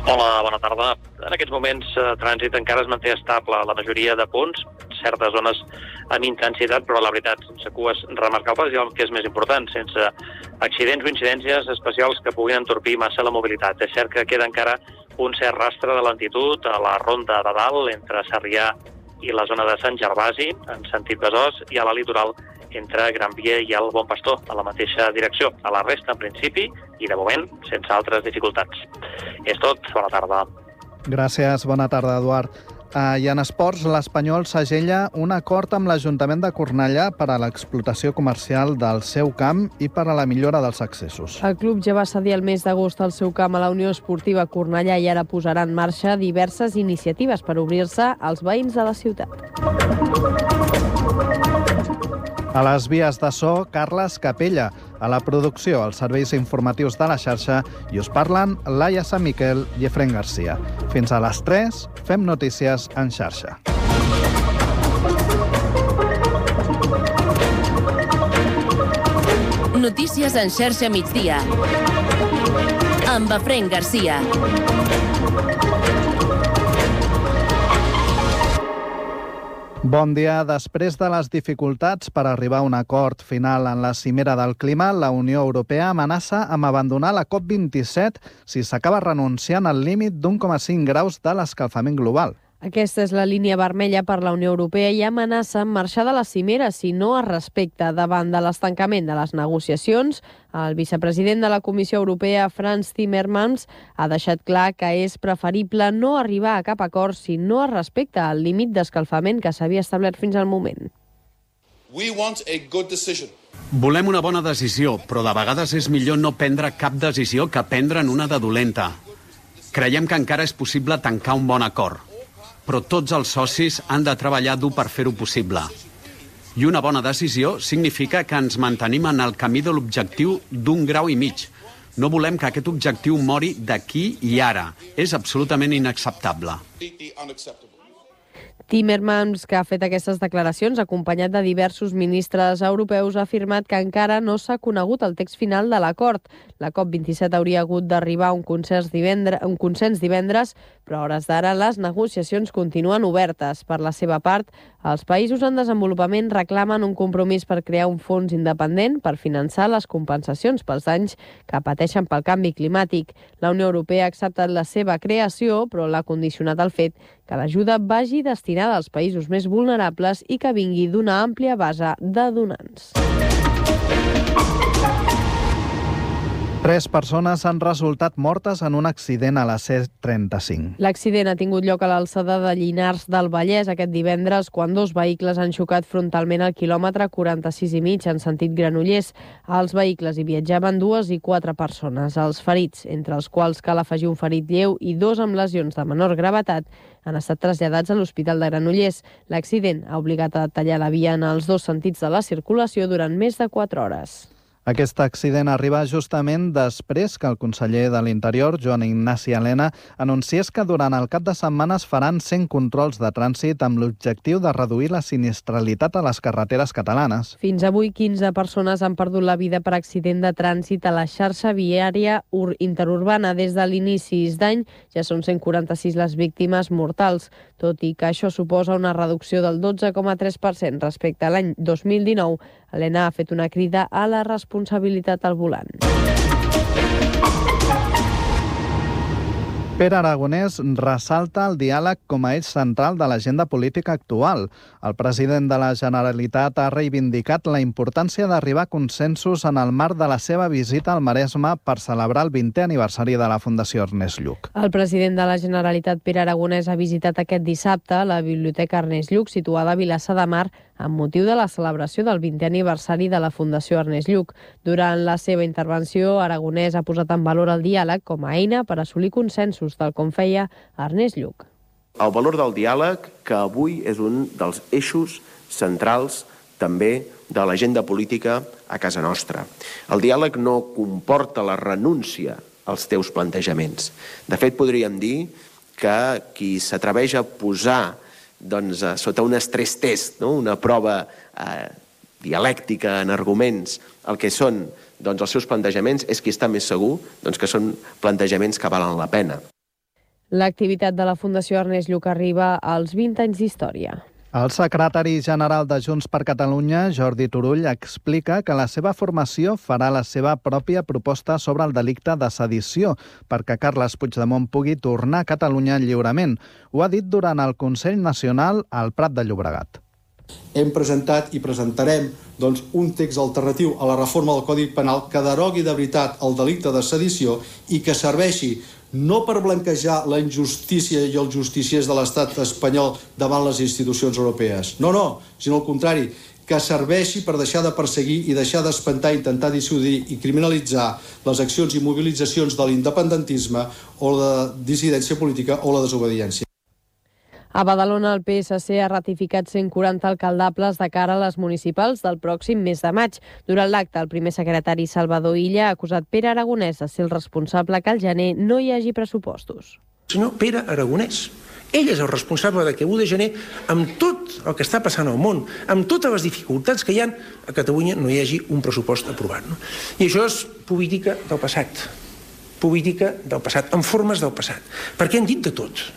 Hola, bona tarda. En aquests moments, el trànsit encara es manté estable a la majoria de punts, certes zones amb intensitat, però la veritat, sense cues remarcables i el que és més important, sense accidents o incidències especials que puguin entorpir massa la mobilitat. És cert que queda encara un cert rastre de lentitud a la ronda de dalt, entre Sarrià i la zona de Sant Gervasi, en sentit Besòs, i a la litoral entre Gran Via i el Bon Pastor, a la mateixa direcció. A la resta, en principi, i de moment, sense altres dificultats. És tot. Bona tarda. Gràcies. Bona tarda, Eduard. Uh, I en esports, l'Espanyol segella un acord amb l'Ajuntament de Cornellà per a l'explotació comercial del seu camp i per a la millora dels accessos. El club ja va cedir el mes d'agost el seu camp a la Unió Esportiva Cornellà i ara posarà en marxa diverses iniciatives per obrir-se als veïns de la ciutat. A les vies de so, Carles Capella. A la producció, els serveis informatius de la xarxa, i us parlen Laia Sant Miquel i Efrén Garcia. Fins a les tres, fem notícies en xarxa. Notícies en xarxa migdia. Amb Efrén Garcia. Bon dia. Després de les dificultats per arribar a un acord final en la cimera del clima, la Unió Europea amenaça amb abandonar la COP vint-i-set si s'acaba renunciant al límit d'un coma cinc graus de l'escalfament global. Aquesta és la línia vermella per la Unió Europea i amenaça amb marxar de la cimera si no es respecta. Davant de l'estancament de les negociacions, el vicepresident de la Comissió Europea, Frans Timmermans, ha deixat clar que és preferible no arribar a cap acord si no es respecta el límit d'escalfament que s'havia establert fins al moment. We want a good decision. Volem una bona decisió, però de vegades és millor no prendre cap decisió que prendre'n una de dolenta. Creiem que encara és possible tancar un bon acord, però tots els socis han de treballar dur per fer-ho possible. I una bona decisió significa que ens mantenim en el camí de l'objectiu d'un grau i mig. No volem que aquest objectiu mori d'aquí i ara. És absolutament inacceptable. Timmermans, que ha fet aquestes declaracions acompanyat de diversos ministres europeus, ha afirmat que encara no s'ha conegut el text final de l'acord. La COP vint-i-set hauria hagut d'arribar a un consens divendres, un consens divendres, però a hores d'ara les negociacions continuen obertes. Per la seva part, els països en desenvolupament reclamen un compromís per crear un fons independent per finançar les compensacions pels danys que pateixen pel canvi climàtic. La Unió Europea ha acceptat la seva creació, però l'ha condicionat al fet que l'ajuda vagi destinada als països més vulnerables i que vingui d'una àmplia base de donants. Tres persones han resultat mortes en un accident a la C trenta-cinc. L'accident ha tingut lloc a l'alçada de Llinars del Vallès aquest divendres, quan dos vehicles han xocat frontalment al quilòmetre quaranta-sis i mig en sentit Granollers. Als vehicles hi viatjaven dues i quatre persones. Els ferits, entre els quals cal afegir un ferit lleu i dos amb lesions de menor gravetat, han estat traslladats a l'Hospital de Granollers. L'accident ha obligat a tallar la via en els dos sentits de la circulació durant més de quatre hores. Aquest accident arriba justament després que el conseller de l'Interior, Joan Ignasi Elena, anunciés que durant el cap de setmana es faran cent controls de trànsit amb l'objectiu de reduir la sinistralitat a les carreteres catalanes. Fins avui, quinze persones han perdut la vida per accident de trànsit a la xarxa viària interurbana. Des de l'inici d'any ja són cent quaranta-sis les víctimes mortals, tot i que això suposa una reducció del dotze coma tres per cent respecte a l'any dos mil dinou. Elena ha fet una crida a la responsabilitat al volant. Pere Aragonès ressalta el diàleg com a eix central de l'agenda política actual. El president de la Generalitat ha reivindicat la importància d'arribar a consensos en el marc de la seva visita al Maresme per celebrar el vintè aniversari de la Fundació Ernest Lluch. El president de la Generalitat, Pere Aragonès, ha visitat aquest dissabte la Biblioteca Ernest Lluch, situada a Vilassar de Mar, amb motiu de la celebració del vintè aniversari de la Fundació Ernest Lluch. Durant la seva intervenció, Aragonès ha posat en valor el diàleg com a eina per assolir consensos, tal com feia Ernest Lluch. El valor del diàleg, que avui és un dels eixos centrals també de l'agenda política a casa nostra. El diàleg no comporta la renúncia als teus plantejaments. De fet, podríem dir que qui s'atreveix a posar doncs, sota un estrès test, no? una prova eh, dialèctica en arguments, el que són doncs, els seus plantejaments, és qui està més segur doncs, que són plantejaments que valen la pena. L'activitat de la Fundació Ernest Lluch arriba als vint anys d'història. El secretari general de Junts per Catalunya, Jordi Turull, explica que la seva formació farà la seva pròpia proposta sobre el delicte de sedició perquè Carles Puigdemont pugui tornar a Catalunya lliurement. Ho ha dit durant el Consell Nacional al Prat de Llobregat. Hem presentat i presentarem doncs, un text alternatiu a la reforma del Codi Penal que derogui de veritat el delicte de sedició i que serveixi no per blanquejar la injustícia i els justiciers de l'estat espanyol davant les institucions europees. No, no, sinó al contrari, que serveixi per deixar de perseguir i deixar d'espantar, intentar dissuadir i criminalitzar les accions i mobilitzacions de l'independentisme o la dissidència política o la desobediència. A Badalona, el P S C ha ratificat cent quaranta alcaldables de cara a les municipals del pròxim mes de maig. Durant l'acte, el primer secretari Salvador Illa ha acusat Pere Aragonès de ser el responsable que al gener no hi hagi pressupostos. Senyor Pere Aragonès, ell és el responsable de que l'u de gener, amb tot el que està passant al món, amb totes les dificultats que hi ha, a Catalunya no hi hagi un pressupost aprovat. No? I això és política del passat. Política del passat, en formes del passat. Perquè han dit de tot.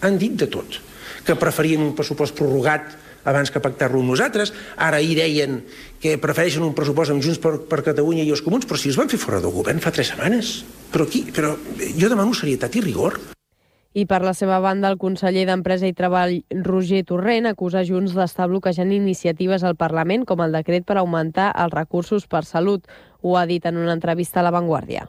Han dit de tot. Que preferien un pressupost prorrogat abans que pactar-lo amb nosaltres. Ara ahir deien que prefereixen un pressupost amb Junts per, per Catalunya i els Comuns, però si els van fer fora del govern fa tres setmanes. Però, aquí, però jo demano serietat i rigor. I per la seva banda, el conseller d'Empresa i Treball, Roger Torrent, acusa Junts d'estar bloquejant iniciatives al Parlament, com el decret per augmentar els recursos per salut. Ho ha dit en una entrevista a La Vanguardia.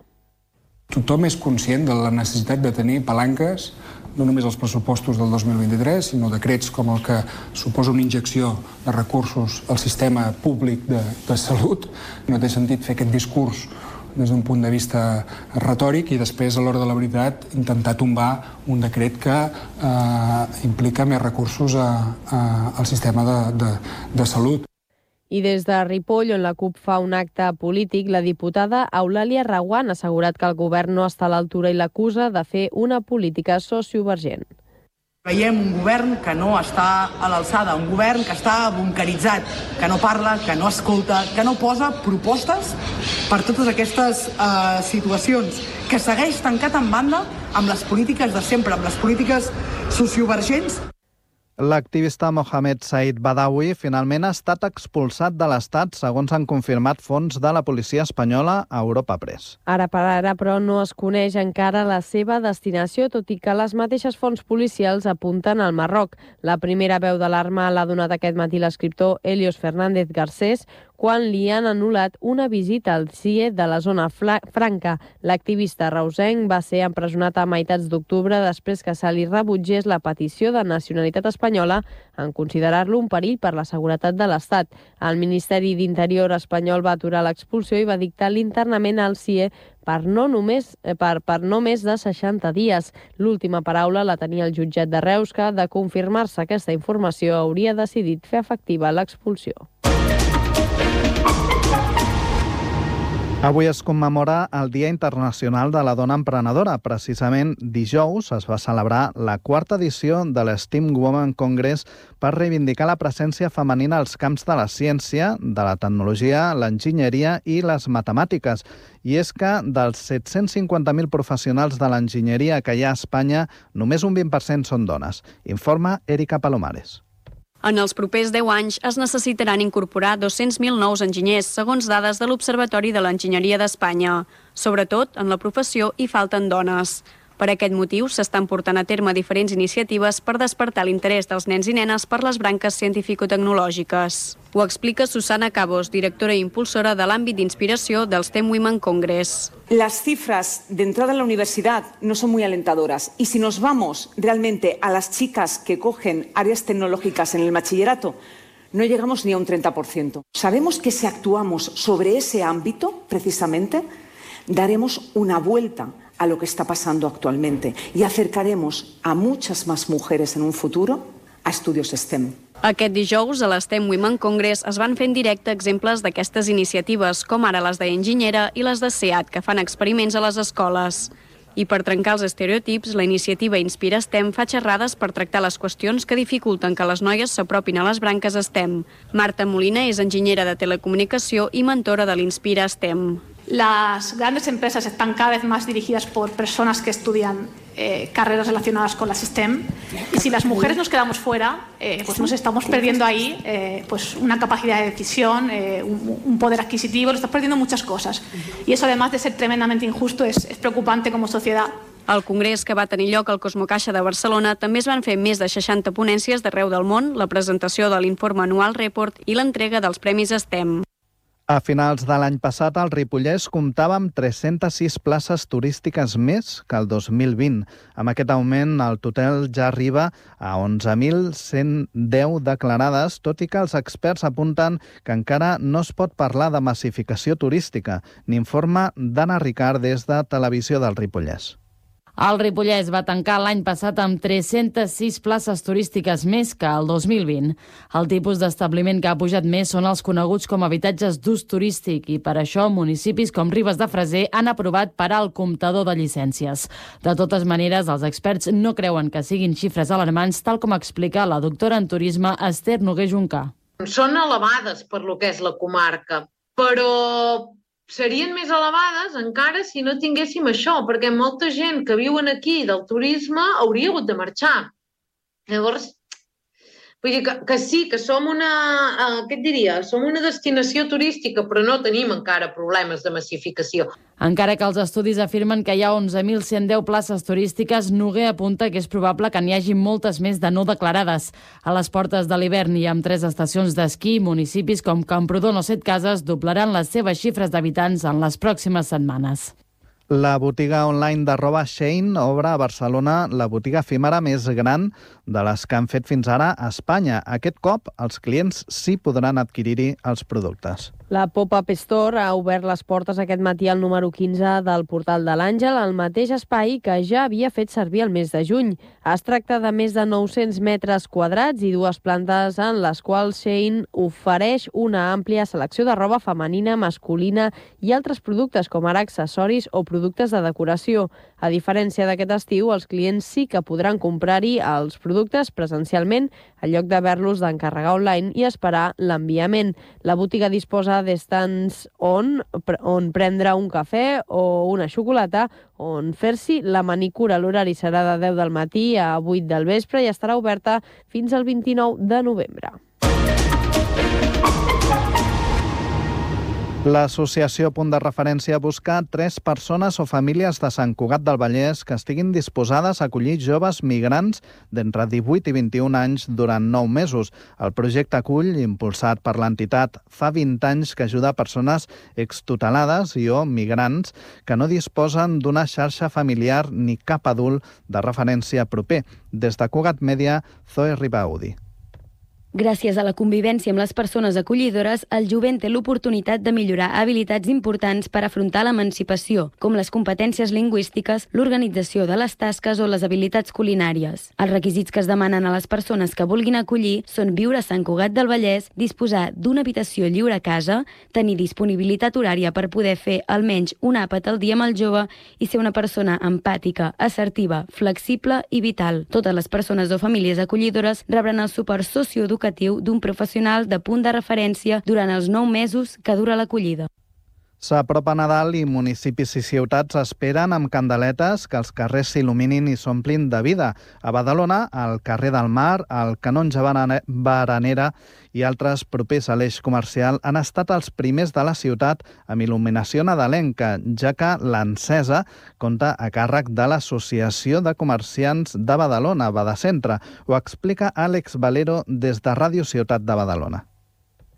Tothom és conscient de la necessitat de tenir palanques, no només els pressupostos del dos mil vint-i-tres, sinó decrets com el que suposa una injecció de recursos al sistema públic de, de salut. No té sentit fer aquest discurs des d'un punt de vista retòric i després, a l'hora de la veritat, intentar tombar un decret que eh, implica més recursos a, a, al sistema de, de, de salut. I des de Ripoll, on la CUP fa un acte polític, la diputada Eulàlia Reguant ha assegurat que el govern no està a l'altura i l'acusa de fer una política sociovergent. Veiem un govern que no està a l'alçada, un govern que està bunkeritzat, que no parla, que no escolta, que no posa propostes per totes aquestes eh, situacions, que segueix tancat en banda amb les polítiques de sempre, amb les polítiques sociovergents. L'activista Mohamed Said Badawi finalment ha estat expulsat de l'Estat, segons han confirmat fonts de la policia espanyola a Europa Press. Ara per ara, però, no es coneix encara la seva destinació, tot i que les mateixes fonts policials apunten al Marroc. La primera veu d'alarma l'ha donat aquest matí l'escriptor Helios Fernández Garcés, quan li han anul·lat una visita al C I E de la zona franca. L'activista reusenc va ser empresonat a meitats d'octubre després que se li rebutgés la petició de nacionalitat espanyola en considerar-lo un perill per la seguretat de l'Estat. El Ministeri d'Interior espanyol va aturar l'expulsió i va dictar l'internament al C I E per no, només, per, per no més de seixanta dies. L'última paraula la tenia el jutjat de Reus, que, de confirmar-se aquesta informació, hauria decidit fer efectiva l'expulsió. Avui es commemora el Dia Internacional de la Dona Emprenedora. Precisament dijous es va celebrar la quarta edició de l'Steam Women Congress per reivindicar la presència femenina als camps de la ciència, de la tecnologia, l'enginyeria i les matemàtiques. I és que dels set-cents cinquanta mil professionals de l'enginyeria que hi ha a Espanya, només un vint per cent són dones. Informa Erika Palomares. En els propers deu anys es necessitaran incorporar dos-cents mil nous enginyers, segons dades de l'Observatori de l'Enginyeria d'Espanya. Sobretot, en la professió hi falten dones. Per aquest motiu, s'estan portant a terme diferents iniciatives per despertar l'interès dels nens i nenes per les branques científico-tecnològiques. Ho explica Susana Cabos, directora i impulsora de l'àmbit d'inspiració del STEM Women Congress. Las cifras de entrada en la universidad no son muy alentadoras y si nos vamos realmente a las chicas que cogen áreas tecnológicas en el bachillerato, no llegamos ni a un treinta por ciento. Sabemos que si actuamos sobre ese ámbito, precisamente, daremos una vuelta a lo que está pasando actualmente y acercaremos a muchas más mujeres en un futuro a estudios STEM. Aquest dijous, a l'STEM Women Congress, es van fer en directe exemples d'aquestes iniciatives, com ara les d'Enginyera i les de SEAT, que fan experiments a les escoles. I per trencar els estereotips, la iniciativa Inspira STEM fa xerrades per tractar les qüestions que dificulten que les noies s'apropin a les branques STEM. Marta Molina és enginyera de telecomunicació i mentora de l'Inspira STEM. Las grandes empresas están cada vez más dirigidas por personas que estudian eh, carreras relacionadas con las STEM y si las mujeres nos quedamos fuera, eh, pues nos estamos perdiendo ahí eh, pues una capacidad de decisión, eh, un, un poder adquisitivo, nos estamos perdiendo muchas cosas y eso, además de ser tremendamente injusto, es, es preocupante como sociedad. Al congrés que va tenir lloc al Cosmocaixa de Barcelona també es van fer més de seixanta ponències d'arreu del món, la presentació de l'informe anual Report i l'entrega dels premis STEM. A finals de l'any passat, el Ripollès comptava amb tres-centes sis places turístiques més que el dos mil vint. Amb aquest augment, el total ja arriba a onze mil cent deu declarades, tot i que els experts apunten que encara no es pot parlar de massificació turística. N'informa Dana Ricard des de Televisió del Ripollès. El Ripollès va tancar l'any passat amb tres-centes sis places turístiques més que el dos mil vint. El tipus d'establiment que ha pujat més són els coneguts com a habitatges d'ús turístic i per això municipis com Ribes de Freser han aprovat parar el comptador de llicències. De totes maneres, els experts no creuen que siguin xifres alarmants, tal com explica la doctora en turisme Esther Noguer Juncà. Són elevades per lo que és la comarca, però serien més elevades encara si no tinguéssim això, perquè molta gent que viuen aquí del turisme hauria hagut de marxar. Llavors, vull dir que, que sí, que som una, eh, què et diria, som una destinació turística, però no tenim encara problemes de massificació. Encara que els estudis afirmen que hi ha onze mil cent deu places turístiques, Noguer apunta que és probable que n'hi hagi moltes més de no declarades. A les portes de l'hivern i amb tres estacions d'esquí, municipis com Camprodon o Setcases doblaran les seves xifres d'habitants en les pròximes setmanes. La botiga online de roba Shein obre a Barcelona la botiga efímera més gran de les que han fet fins ara a Espanya. Aquest cop, els clients sí podran adquirir-hi els productes. La Pop-Up Store ha obert les portes aquest matí al número quinze del Portal de l'Àngel, el mateix espai que ja havia fet servir el mes de juny. Es tracta de més de nou-cents metres quadrats i dues plantes en les quals Shein ofereix una àmplia selecció de roba femenina, masculina i altres productes com ara accessoris o productes de decoració. A diferència d'aquest estiu, els clients sí que podran comprar-hi els productes presencialment en lloc d'haver-los d'encarregar online i esperar l'enviament. La botiga disposa d'estands on, on prendre un cafè o una xocolata, on fer-s'hi la manicura. L'horari serà de deu del matí a vuit del vespre i estarà oberta fins al vint-i-nou de novembre. L'associació Punt de Referència busca tres persones o famílies de Sant Cugat del Vallès que estiguin disposades a acollir joves migrants d'entre divuit i vint-i-un anys durant nou mesos. El projecte acull, impulsat per l'entitat fa vint anys, que ajuda a persones extutelades i o migrants que no disposen d'una xarxa familiar ni cap adult de referència proper. Des de Cugat Mèdia, Zoe Ribaudi. Gràcies a la convivència amb les persones acollidores, el jovent té l'oportunitat de millorar habilitats importants per afrontar l'emancipació, com les competències lingüístiques, l'organització de les tasques o les habilitats culinàries. Els requisits que es demanen a les persones que vulguin acollir són viure a Sant Cugat del Vallès, disposar d'una habitació lliure a casa, tenir disponibilitat horària per poder fer almenys un àpat al dia amb el jove i ser una persona empàtica, assertiva, flexible i vital. Totes les persones o famílies acollidores rebran el suport socioeducatiu d'un professional de punt de referència durant els nou mesos que dura l'acollida. S'apropa Nadal i municipis i ciutats esperen amb candeletes que els carrers s'il·luminin i s'omplin de vida. A Badalona, al carrer del Mar, al Canonge Baranera i altres propers a l'eix comercial han estat els primers de la ciutat amb il·luminació nadalenca, ja que l'encesa compta a càrrec de l'Associació de Comerciants de Badalona, Badacentre. Ho explica Àlex Valero des de Ràdio Ciutat de Badalona.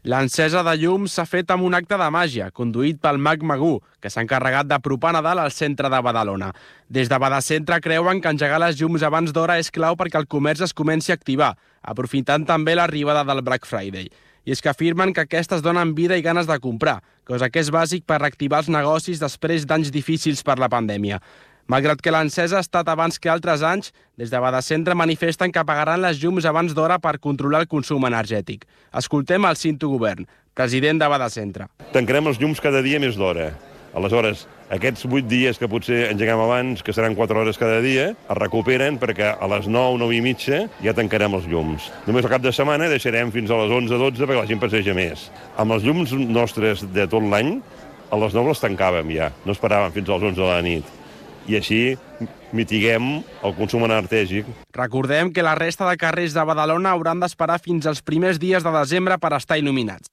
L'encesa de llums s'ha fet amb un acte de màgia, conduït pel mag Magú, que s'ha encarregat d'apropar Nadal al centre de Badalona. Des de Badacentre creuen que engegar les llums abans d'hora és clau perquè el comerç es comenci a activar, aprofitant també l'arribada del Black Friday. I és que afirmen que aquestes donen vida i ganes de comprar, cosa que és bàsic per reactivar els negocis després d'anys difícils per la pandèmia. Malgrat que l'encesa ha estat abans que altres anys, des de Badacentre manifesten que apagaran les llums abans d'hora per controlar el consum energètic. Escoltem el Cinto Govern, president de Badacentre. Tancarem els llums cada dia més d'hora. Aleshores, aquests vuit dies que potser engegam abans, que seran quatre hores cada dia, es recuperen perquè a les nou, nou i mitja ja tancarem els llums. Només al cap de setmana deixarem fins a les onze, dotze perquè la gent passeja més. Amb els llums nostres de tot l'any, a les nou les tancàvem ja, no esperàvem fins a les onze de la nit. I així mitiguem el consum energètic. Recordem que la resta de carrers de Badalona hauran d'esperar fins als primers dies de desembre per estar il·luminats.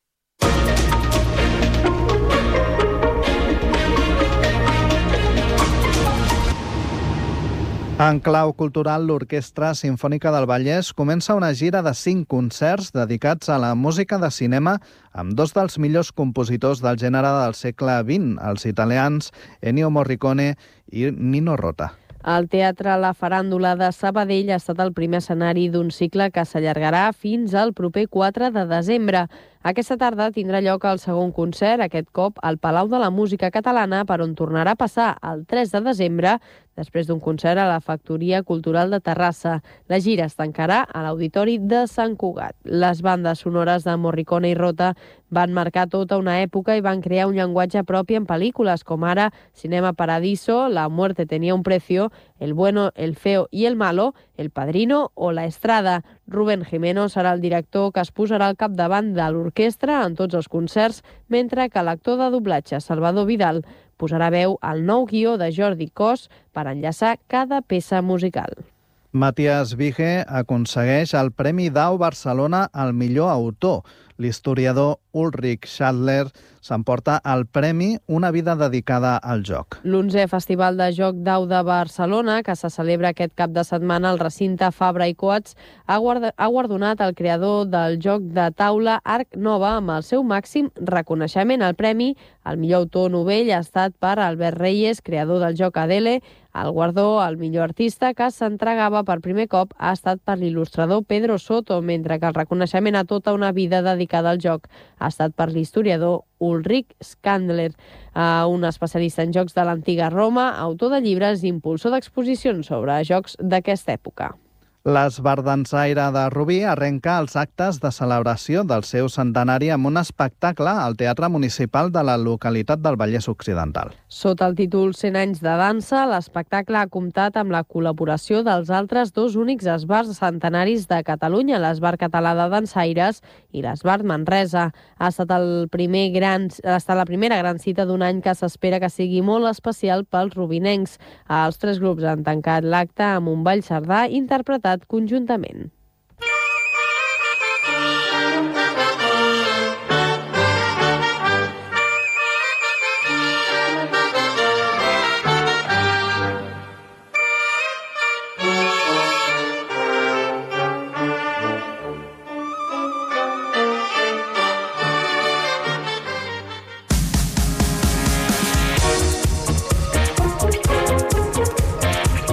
En clau cultural, l'Orquestra Simfònica del Vallès comença una gira de cinc concerts dedicats a la música de cinema amb dos dels millors compositors del gènere del segle vint, els italians Ennio Morricone i Nino Rota. El Teatre La Faràndula de Sabadell ha estat el primer escenari d'un cicle que s'allargarà fins al proper quatre de desembre. Aquesta tarda tindrà lloc el segon concert, aquest cop al Palau de la Música Catalana, per on tornarà a passar el tres de desembre després d'un concert a la Factoria Cultural de Terrassa. La gira es tancarà a l'Auditori de Sant Cugat. Les bandes sonores de Morricone i Rota van marcar tota una època i van crear un llenguatge propi en pel·lícules, com ara Cinema Paradiso, La muerte tenía un precio, El bueno, el feo i el malo, El padrino o La Estrada. Rubén Jimeno serà el director que es posarà al capdavant de l'orquestra en tots els concerts, mentre que l'actor de doblatge, Salvador Vidal, posarà veu al nou guió de Jordi Cos per enllaçar cada peça musical. Matías Vige aconsegueix el Premi Dau Barcelona al millor autor. L'historiador Ulrich Schadler s'emporta el premi Una vida dedicada al joc. L'onzè Festival de Joc Dau de Barcelona, que se celebra aquest cap de setmana al recinte Fabra i Coats, ha guardonat el creador del joc de taula Arc Nova amb el seu màxim reconeixement. El premi al millor autor novell ha estat per Albert Reyes, creador del joc Adele. El guardó al millor artista, que s'entregava per primer cop, ha estat per l'il·lustrador Pedro Soto, mentre que el reconeixement a tota una vida dedicada al joc ha estat per l'historiador Ulrich Schadler, un especialista en jocs de l'antiga Roma, autor de llibres i impulsor d'exposicions sobre jocs d'aquesta època. L'Esbardansaire de Rubí arrenca els actes de celebració del seu centenari amb un espectacle al Teatre Municipal de la localitat del Vallès Occidental. Sota el títol cent anys de dansa, l'espectacle ha comptat amb la col·laboració dels altres dos únics esbars centenaris de Catalunya, l'Esbar Català de Dansaires i l'Esbar Manresa. Ha estat, el primer gran, ha estat la primera gran cita d'un any que s'espera que sigui molt especial pels rubinencs. Els tres grups han tancat l'acte amb un ball sardà interpretat conjuntament.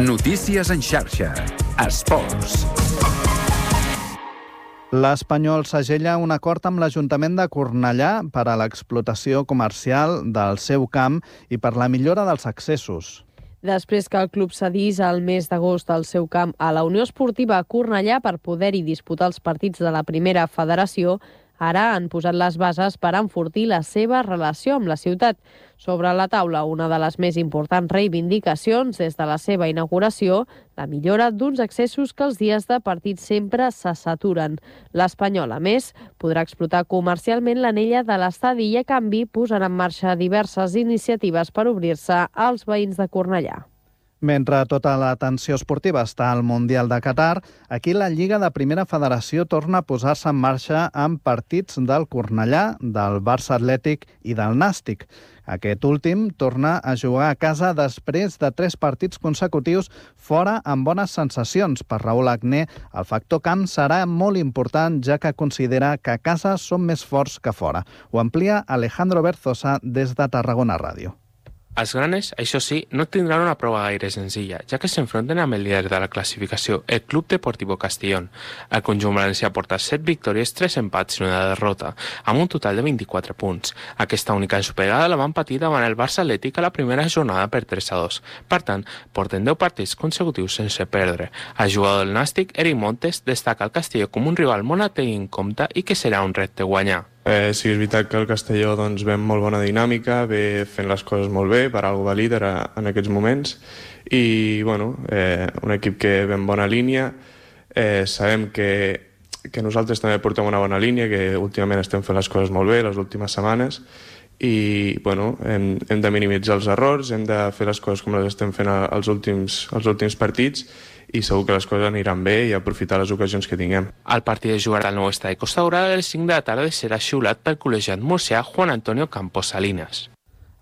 Notícies en xarxa. Esports. L'Espanyol segella un acord amb l'Ajuntament de Cornellà per a l'explotació comercial del seu camp i per la millora dels accessos. Després que el club cedís al mes d'agost el seu camp a la Unió Esportiva Cornellà per poder-hi disputar els partits de la primera federació, ara han posat les bases per enfortir la seva relació amb la ciutat. Sobre la taula, una de les més importants reivindicacions des de la seva inauguració, la millora d'uns accessos que els dies de partit sempre se saturen. L'Espanyol, a més, podrà explotar comercialment l'anella de l'estadi i, a canvi, posarà en marxa diverses iniciatives per obrir-se als veïns de Cornellà. Mentre tota l'atenció esportiva està al Mundial de Qatar, aquí la Lliga de Primera Federació torna a posar-se en marxa amb partits del Cornellà, del Barça Atlètic i del Nàstic. Aquest últim torna a jugar a casa després de tres partits consecutius fora amb bones sensacions. Per Raül Agné, el factor camp serà molt important, ja que considera que a casa són més forts que fora. Ho amplia Alejandro Berzosa des de Tarragona Ràdio. Els granes, això sí, no tindran una prova gaire senzilla, ja que s'enfronten amb el líder de la classificació, el Club Deportivo Castellón. El conjunt valencià porta set victòries, tres empats i una derrota, amb un total de vint-i-quatre punts. Aquesta única ensopeigada la van patir davant el Barça Atlètic a la primera jornada per tres a dos. Per tant, porten deu partits consecutius sense perdre. El jugador del Nàstic, Eric Montes, destaca el Castelló com un rival molt a tenir en compte i que serà un repte guanyar. Eh, sí, és veritat que el Castelló doncs, ve amb molt bona dinàmica, ve fent les coses molt bé, per algo va líder a, en aquests moments, i bueno, eh, un equip que ve en bona línia. Eh, sabem que, que nosaltres també portem una bona línia, que últimament estem fent les coses molt bé les últimes setmanes, i bueno, hem, hem de minimitzar els errors, hem de fer les coses com les estem fent als últims, als últims partits, i segur que les coses aniran bé i aprofitar les ocasions que tinguem. El partit es jugarà al nou estadi Costa Daurada a les cinc de la tarda i serà xiulat pel col·legiat murcià Juan Antonio Campos Salinas.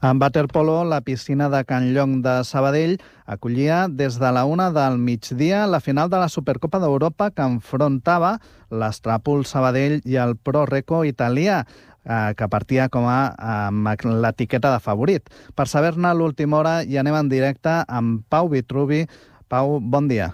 En waterpolo, la piscina de Can Llong de Sabadell acollia des de la una del migdia la final de la Supercopa d'Europa que enfrontava l'Estràpol Sabadell i el Pro Reco italià, eh, que partia com a amb l'etiqueta de favorit. Per saber-ne l'última hora hi anem en directe amb Pau Vitruvi. Pau, bon dia.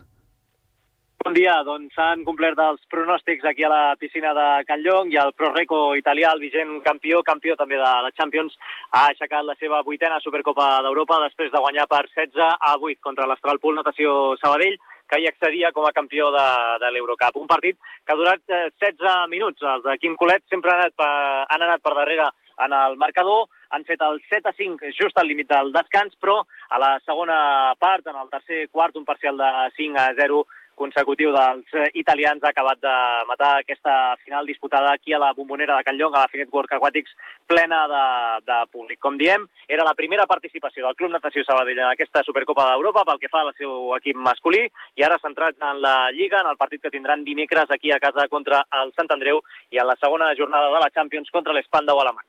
Bon dia, doncs s'han complert els pronòstics aquí a la piscina de Can Llong i el Proreco italià, el vigent campió, campió també de la Champions, ha aixecat la seva vuitena Supercopa d'Europa després de guanyar per setze a vuit contra l'Astralpool Natació Sabadell, que hi accedia com a campió de, de l'Eurocup. Un partit que ha durat eh, setze minuts. Els de Quim Colet sempre han anat, per, han anat per darrere en el marcador, han fet el set a cinc just al límit del descans, però a la segona part, en el tercer quart, un parcial de cinc a zero consecutiu dels italians ha acabat de matar aquesta final disputada aquí a la Bombonera de Can Llong, a la Finet World Aquatics, plena de, de públic. Com diem, era la primera participació del Club Natació Sabadell en aquesta Supercopa d'Europa pel que fa al seu equip masculí, i ara centrat en la Lliga, en el partit que tindran dimecres aquí a casa contra el Sant Andreu i en la segona jornada de la Champions contra l'Spandau alemany.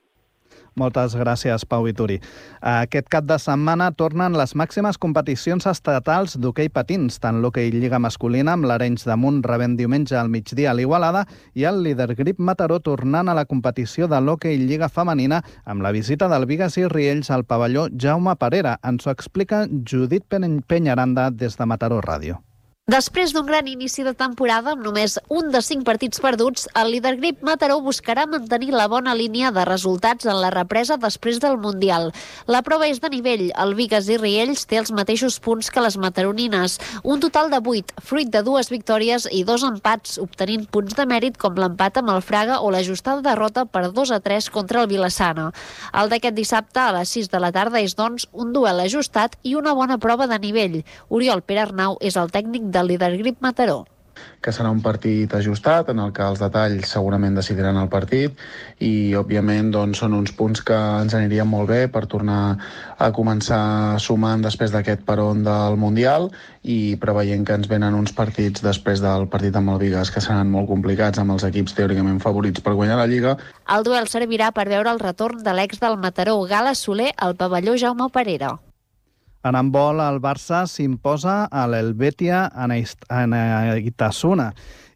Moltes gràcies, Pau Vituri. Aquest cap de setmana tornen les màximes competicions estatals d'hoquei patins, tant l'hoquei Lliga masculina amb l'Arenys de Munt rebent diumenge al migdia a l'Igualada i el líder Grip Mataró tornant a la competició de l'hoquei Lliga femenina amb la visita del Bigues i Riells al pavelló Jaume Parera. Ens ho explica Judit Peñaranda des de Mataró Ràdio. Després d'un gran inici de temporada amb només un de cinc partits perduts, el líder Grip Mataró buscarà mantenir la bona línia de resultats en la represa després del Mundial. La prova és de nivell. El Bigues i Riells té els mateixos punts que les mataronines, un total de vuit, fruit de dues victòries i dos empats, obtenint punts de mèrit com l'empat amb el Fraga o l'ajustada derrota per dos a tres contra el Vilassana. El d'aquest dissabte a les sis de la tarda és, doncs, un duel ajustat i una bona prova de nivell. Oriol Perarnau és el tècnic de el líder Grip Mataró. Que serà un partit ajustat en el que els detalls segurament decidiran el partit i, òbviament, doncs, són uns punts que ens anirien molt bé per tornar a començar sumant després d'aquest peron del Mundial i preveient que ens venen uns partits després del partit amb el Bigues que seran molt complicats amb els equips teòricament favorits per guanyar la Lliga. El duel servirà per veure el retorn de l'ex del Mataró, Gala Soler, al pavelló Jaume Parera. En handbol, el Barça s'imposa a l'Helvetia Anaitasuna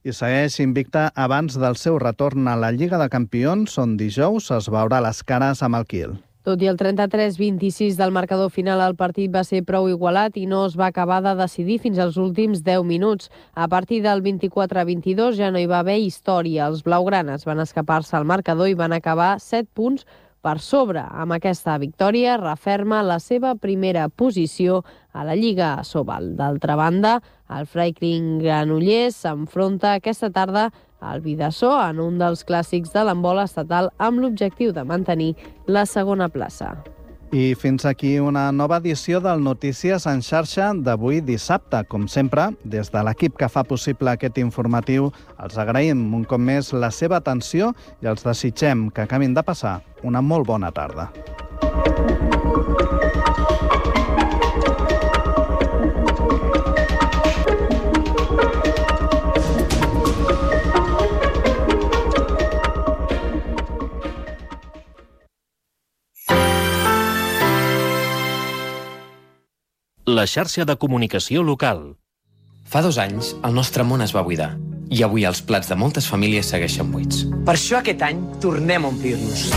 i segueix invicta abans del seu retorn a la Lliga de Campions, on dijous es veurà les cares amb el Kiel. Tot i el trenta-tres vint-i-sis del marcador final, el partit va ser prou igualat i no es va acabar de decidir fins als últims deu minuts. A partir del vint-i-quatre vint-i-dos ja no hi va haver història. Els blaugranes van escapar-se al marcador i van acabar set punts per sobre. Amb aquesta victòria referma la seva primera posició a la Lliga Sobal. D'altra banda, el Franklin Granollers s'enfronta aquesta tarda al Bidassó en un dels clàssics de l'handbol estatal amb l'objectiu de mantenir la segona plaça. I fins aquí una nova edició del Notícies en xarxa d'avui dissabte. Com sempre, des de l'equip que fa possible aquest informatiu, els agraïm un cop més la seva atenció i els desitgem que acabin de passar una molt bona tarda. La xarxa de comunicació local. Fa dos anys, el nostre món es va buidar. I avui els plats de moltes famílies segueixen buits. Per això aquest any tornem a omplir-nos.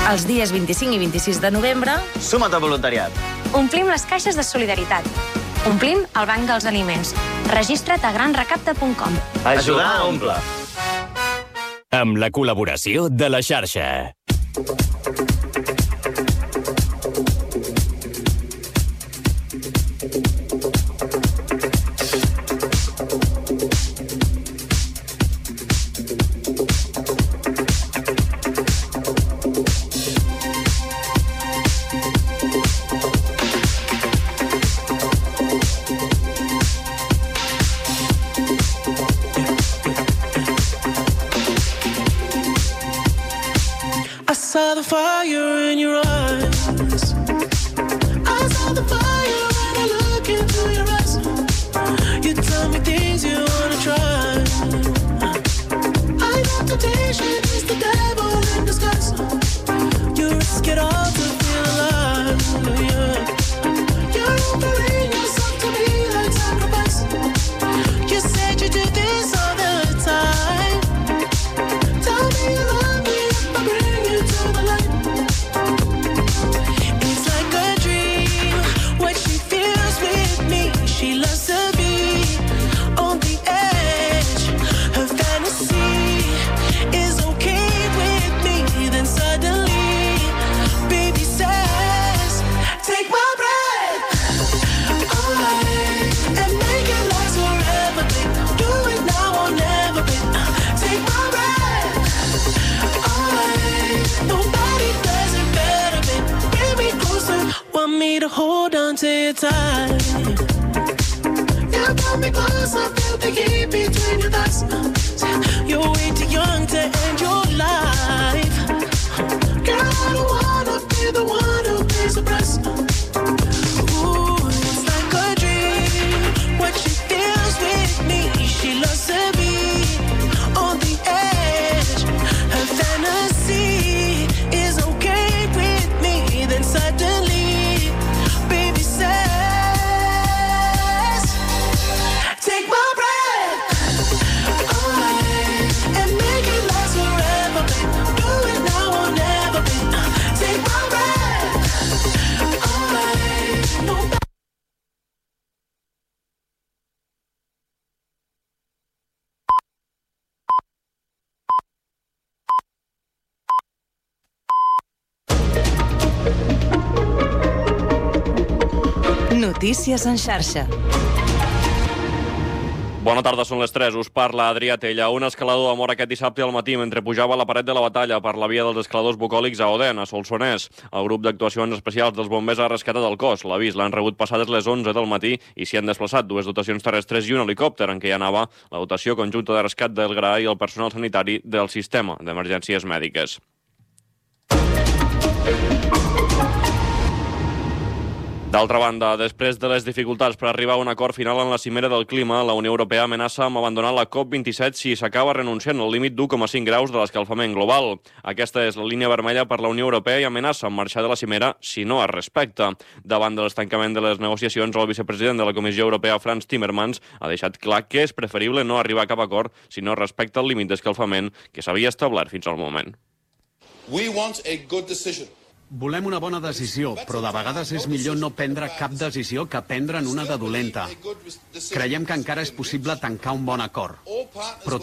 Els dies vint-i-cinc i vint-i-sis de novembre... Suma't al voluntariat. Omplim les caixes de solidaritat. Omplim el banc dels aliments. Registra't a gran recapte punt com. Ajudar a omplir. Amb la col·laboració de la xarxa. I saw the fire in your eyes. I saw the fire when I look into your eyes. You tell me things you wanna try. I know temptation is the devil in disguise. You risk it all to feel alive. Yeah. You're offering yourself to me like sacrifice. You said you do this all the time. Tell me you love me if I bring you to the light. time. You brought me close, I felt the heat between your thighs. You're way too young to end your life. Girl, I don't wanna be the one who pays the price. Ooh, it's like a dream. What she feels with me, she loves to be on the edge. Her fantasy is okay with me. Then suddenly, baby says, take my breath away and make it last forever, babe. Do it now or never, babe. Take my breath away. No. Notícies en xarxa. Bona tarda, són les tres. Us parla Adrià Tella. Un escalador ha mort aquest dissabte al matí mentre pujava a la paret de la Batalla per la via dels escaladors bucòlics a Odèn, a Solsonès. El grup d'actuacions especials dels bombers ha rescatat el cos. L'avís l'han rebut passades les onze del matí i s'hi han desplaçat dues dotacions terrestres i un helicòpter en què hi anava la dotació conjunta de rescat del G R A i el personal sanitari del sistema d'emergències mèdiques. D'altra banda, després de les dificultats per arribar a un acord final en la cimera del clima, la Unió Europea amenaça amb abandonar la COP vint-i-set si s'acaba renunciant al límit d'u coma cinc graus de l'escalfament global. Aquesta és la línia vermella per la Unió Europea i amenaça amb marxar de la cimera si no es respecta. Davant de l'estancament de les negociacions, el vicepresident de la Comissió Europea, Frans Timmermans, ha deixat clar que és preferible no arribar a cap acord si no es respecta el límit d'escalfament que s'havia establert fins al moment. We want a good decision. Volem una bona decisió, però de vegades és millor no prendre cap decisió que prendre'n una de dolenta. Creiem que encara és possible tancar un bon acord, però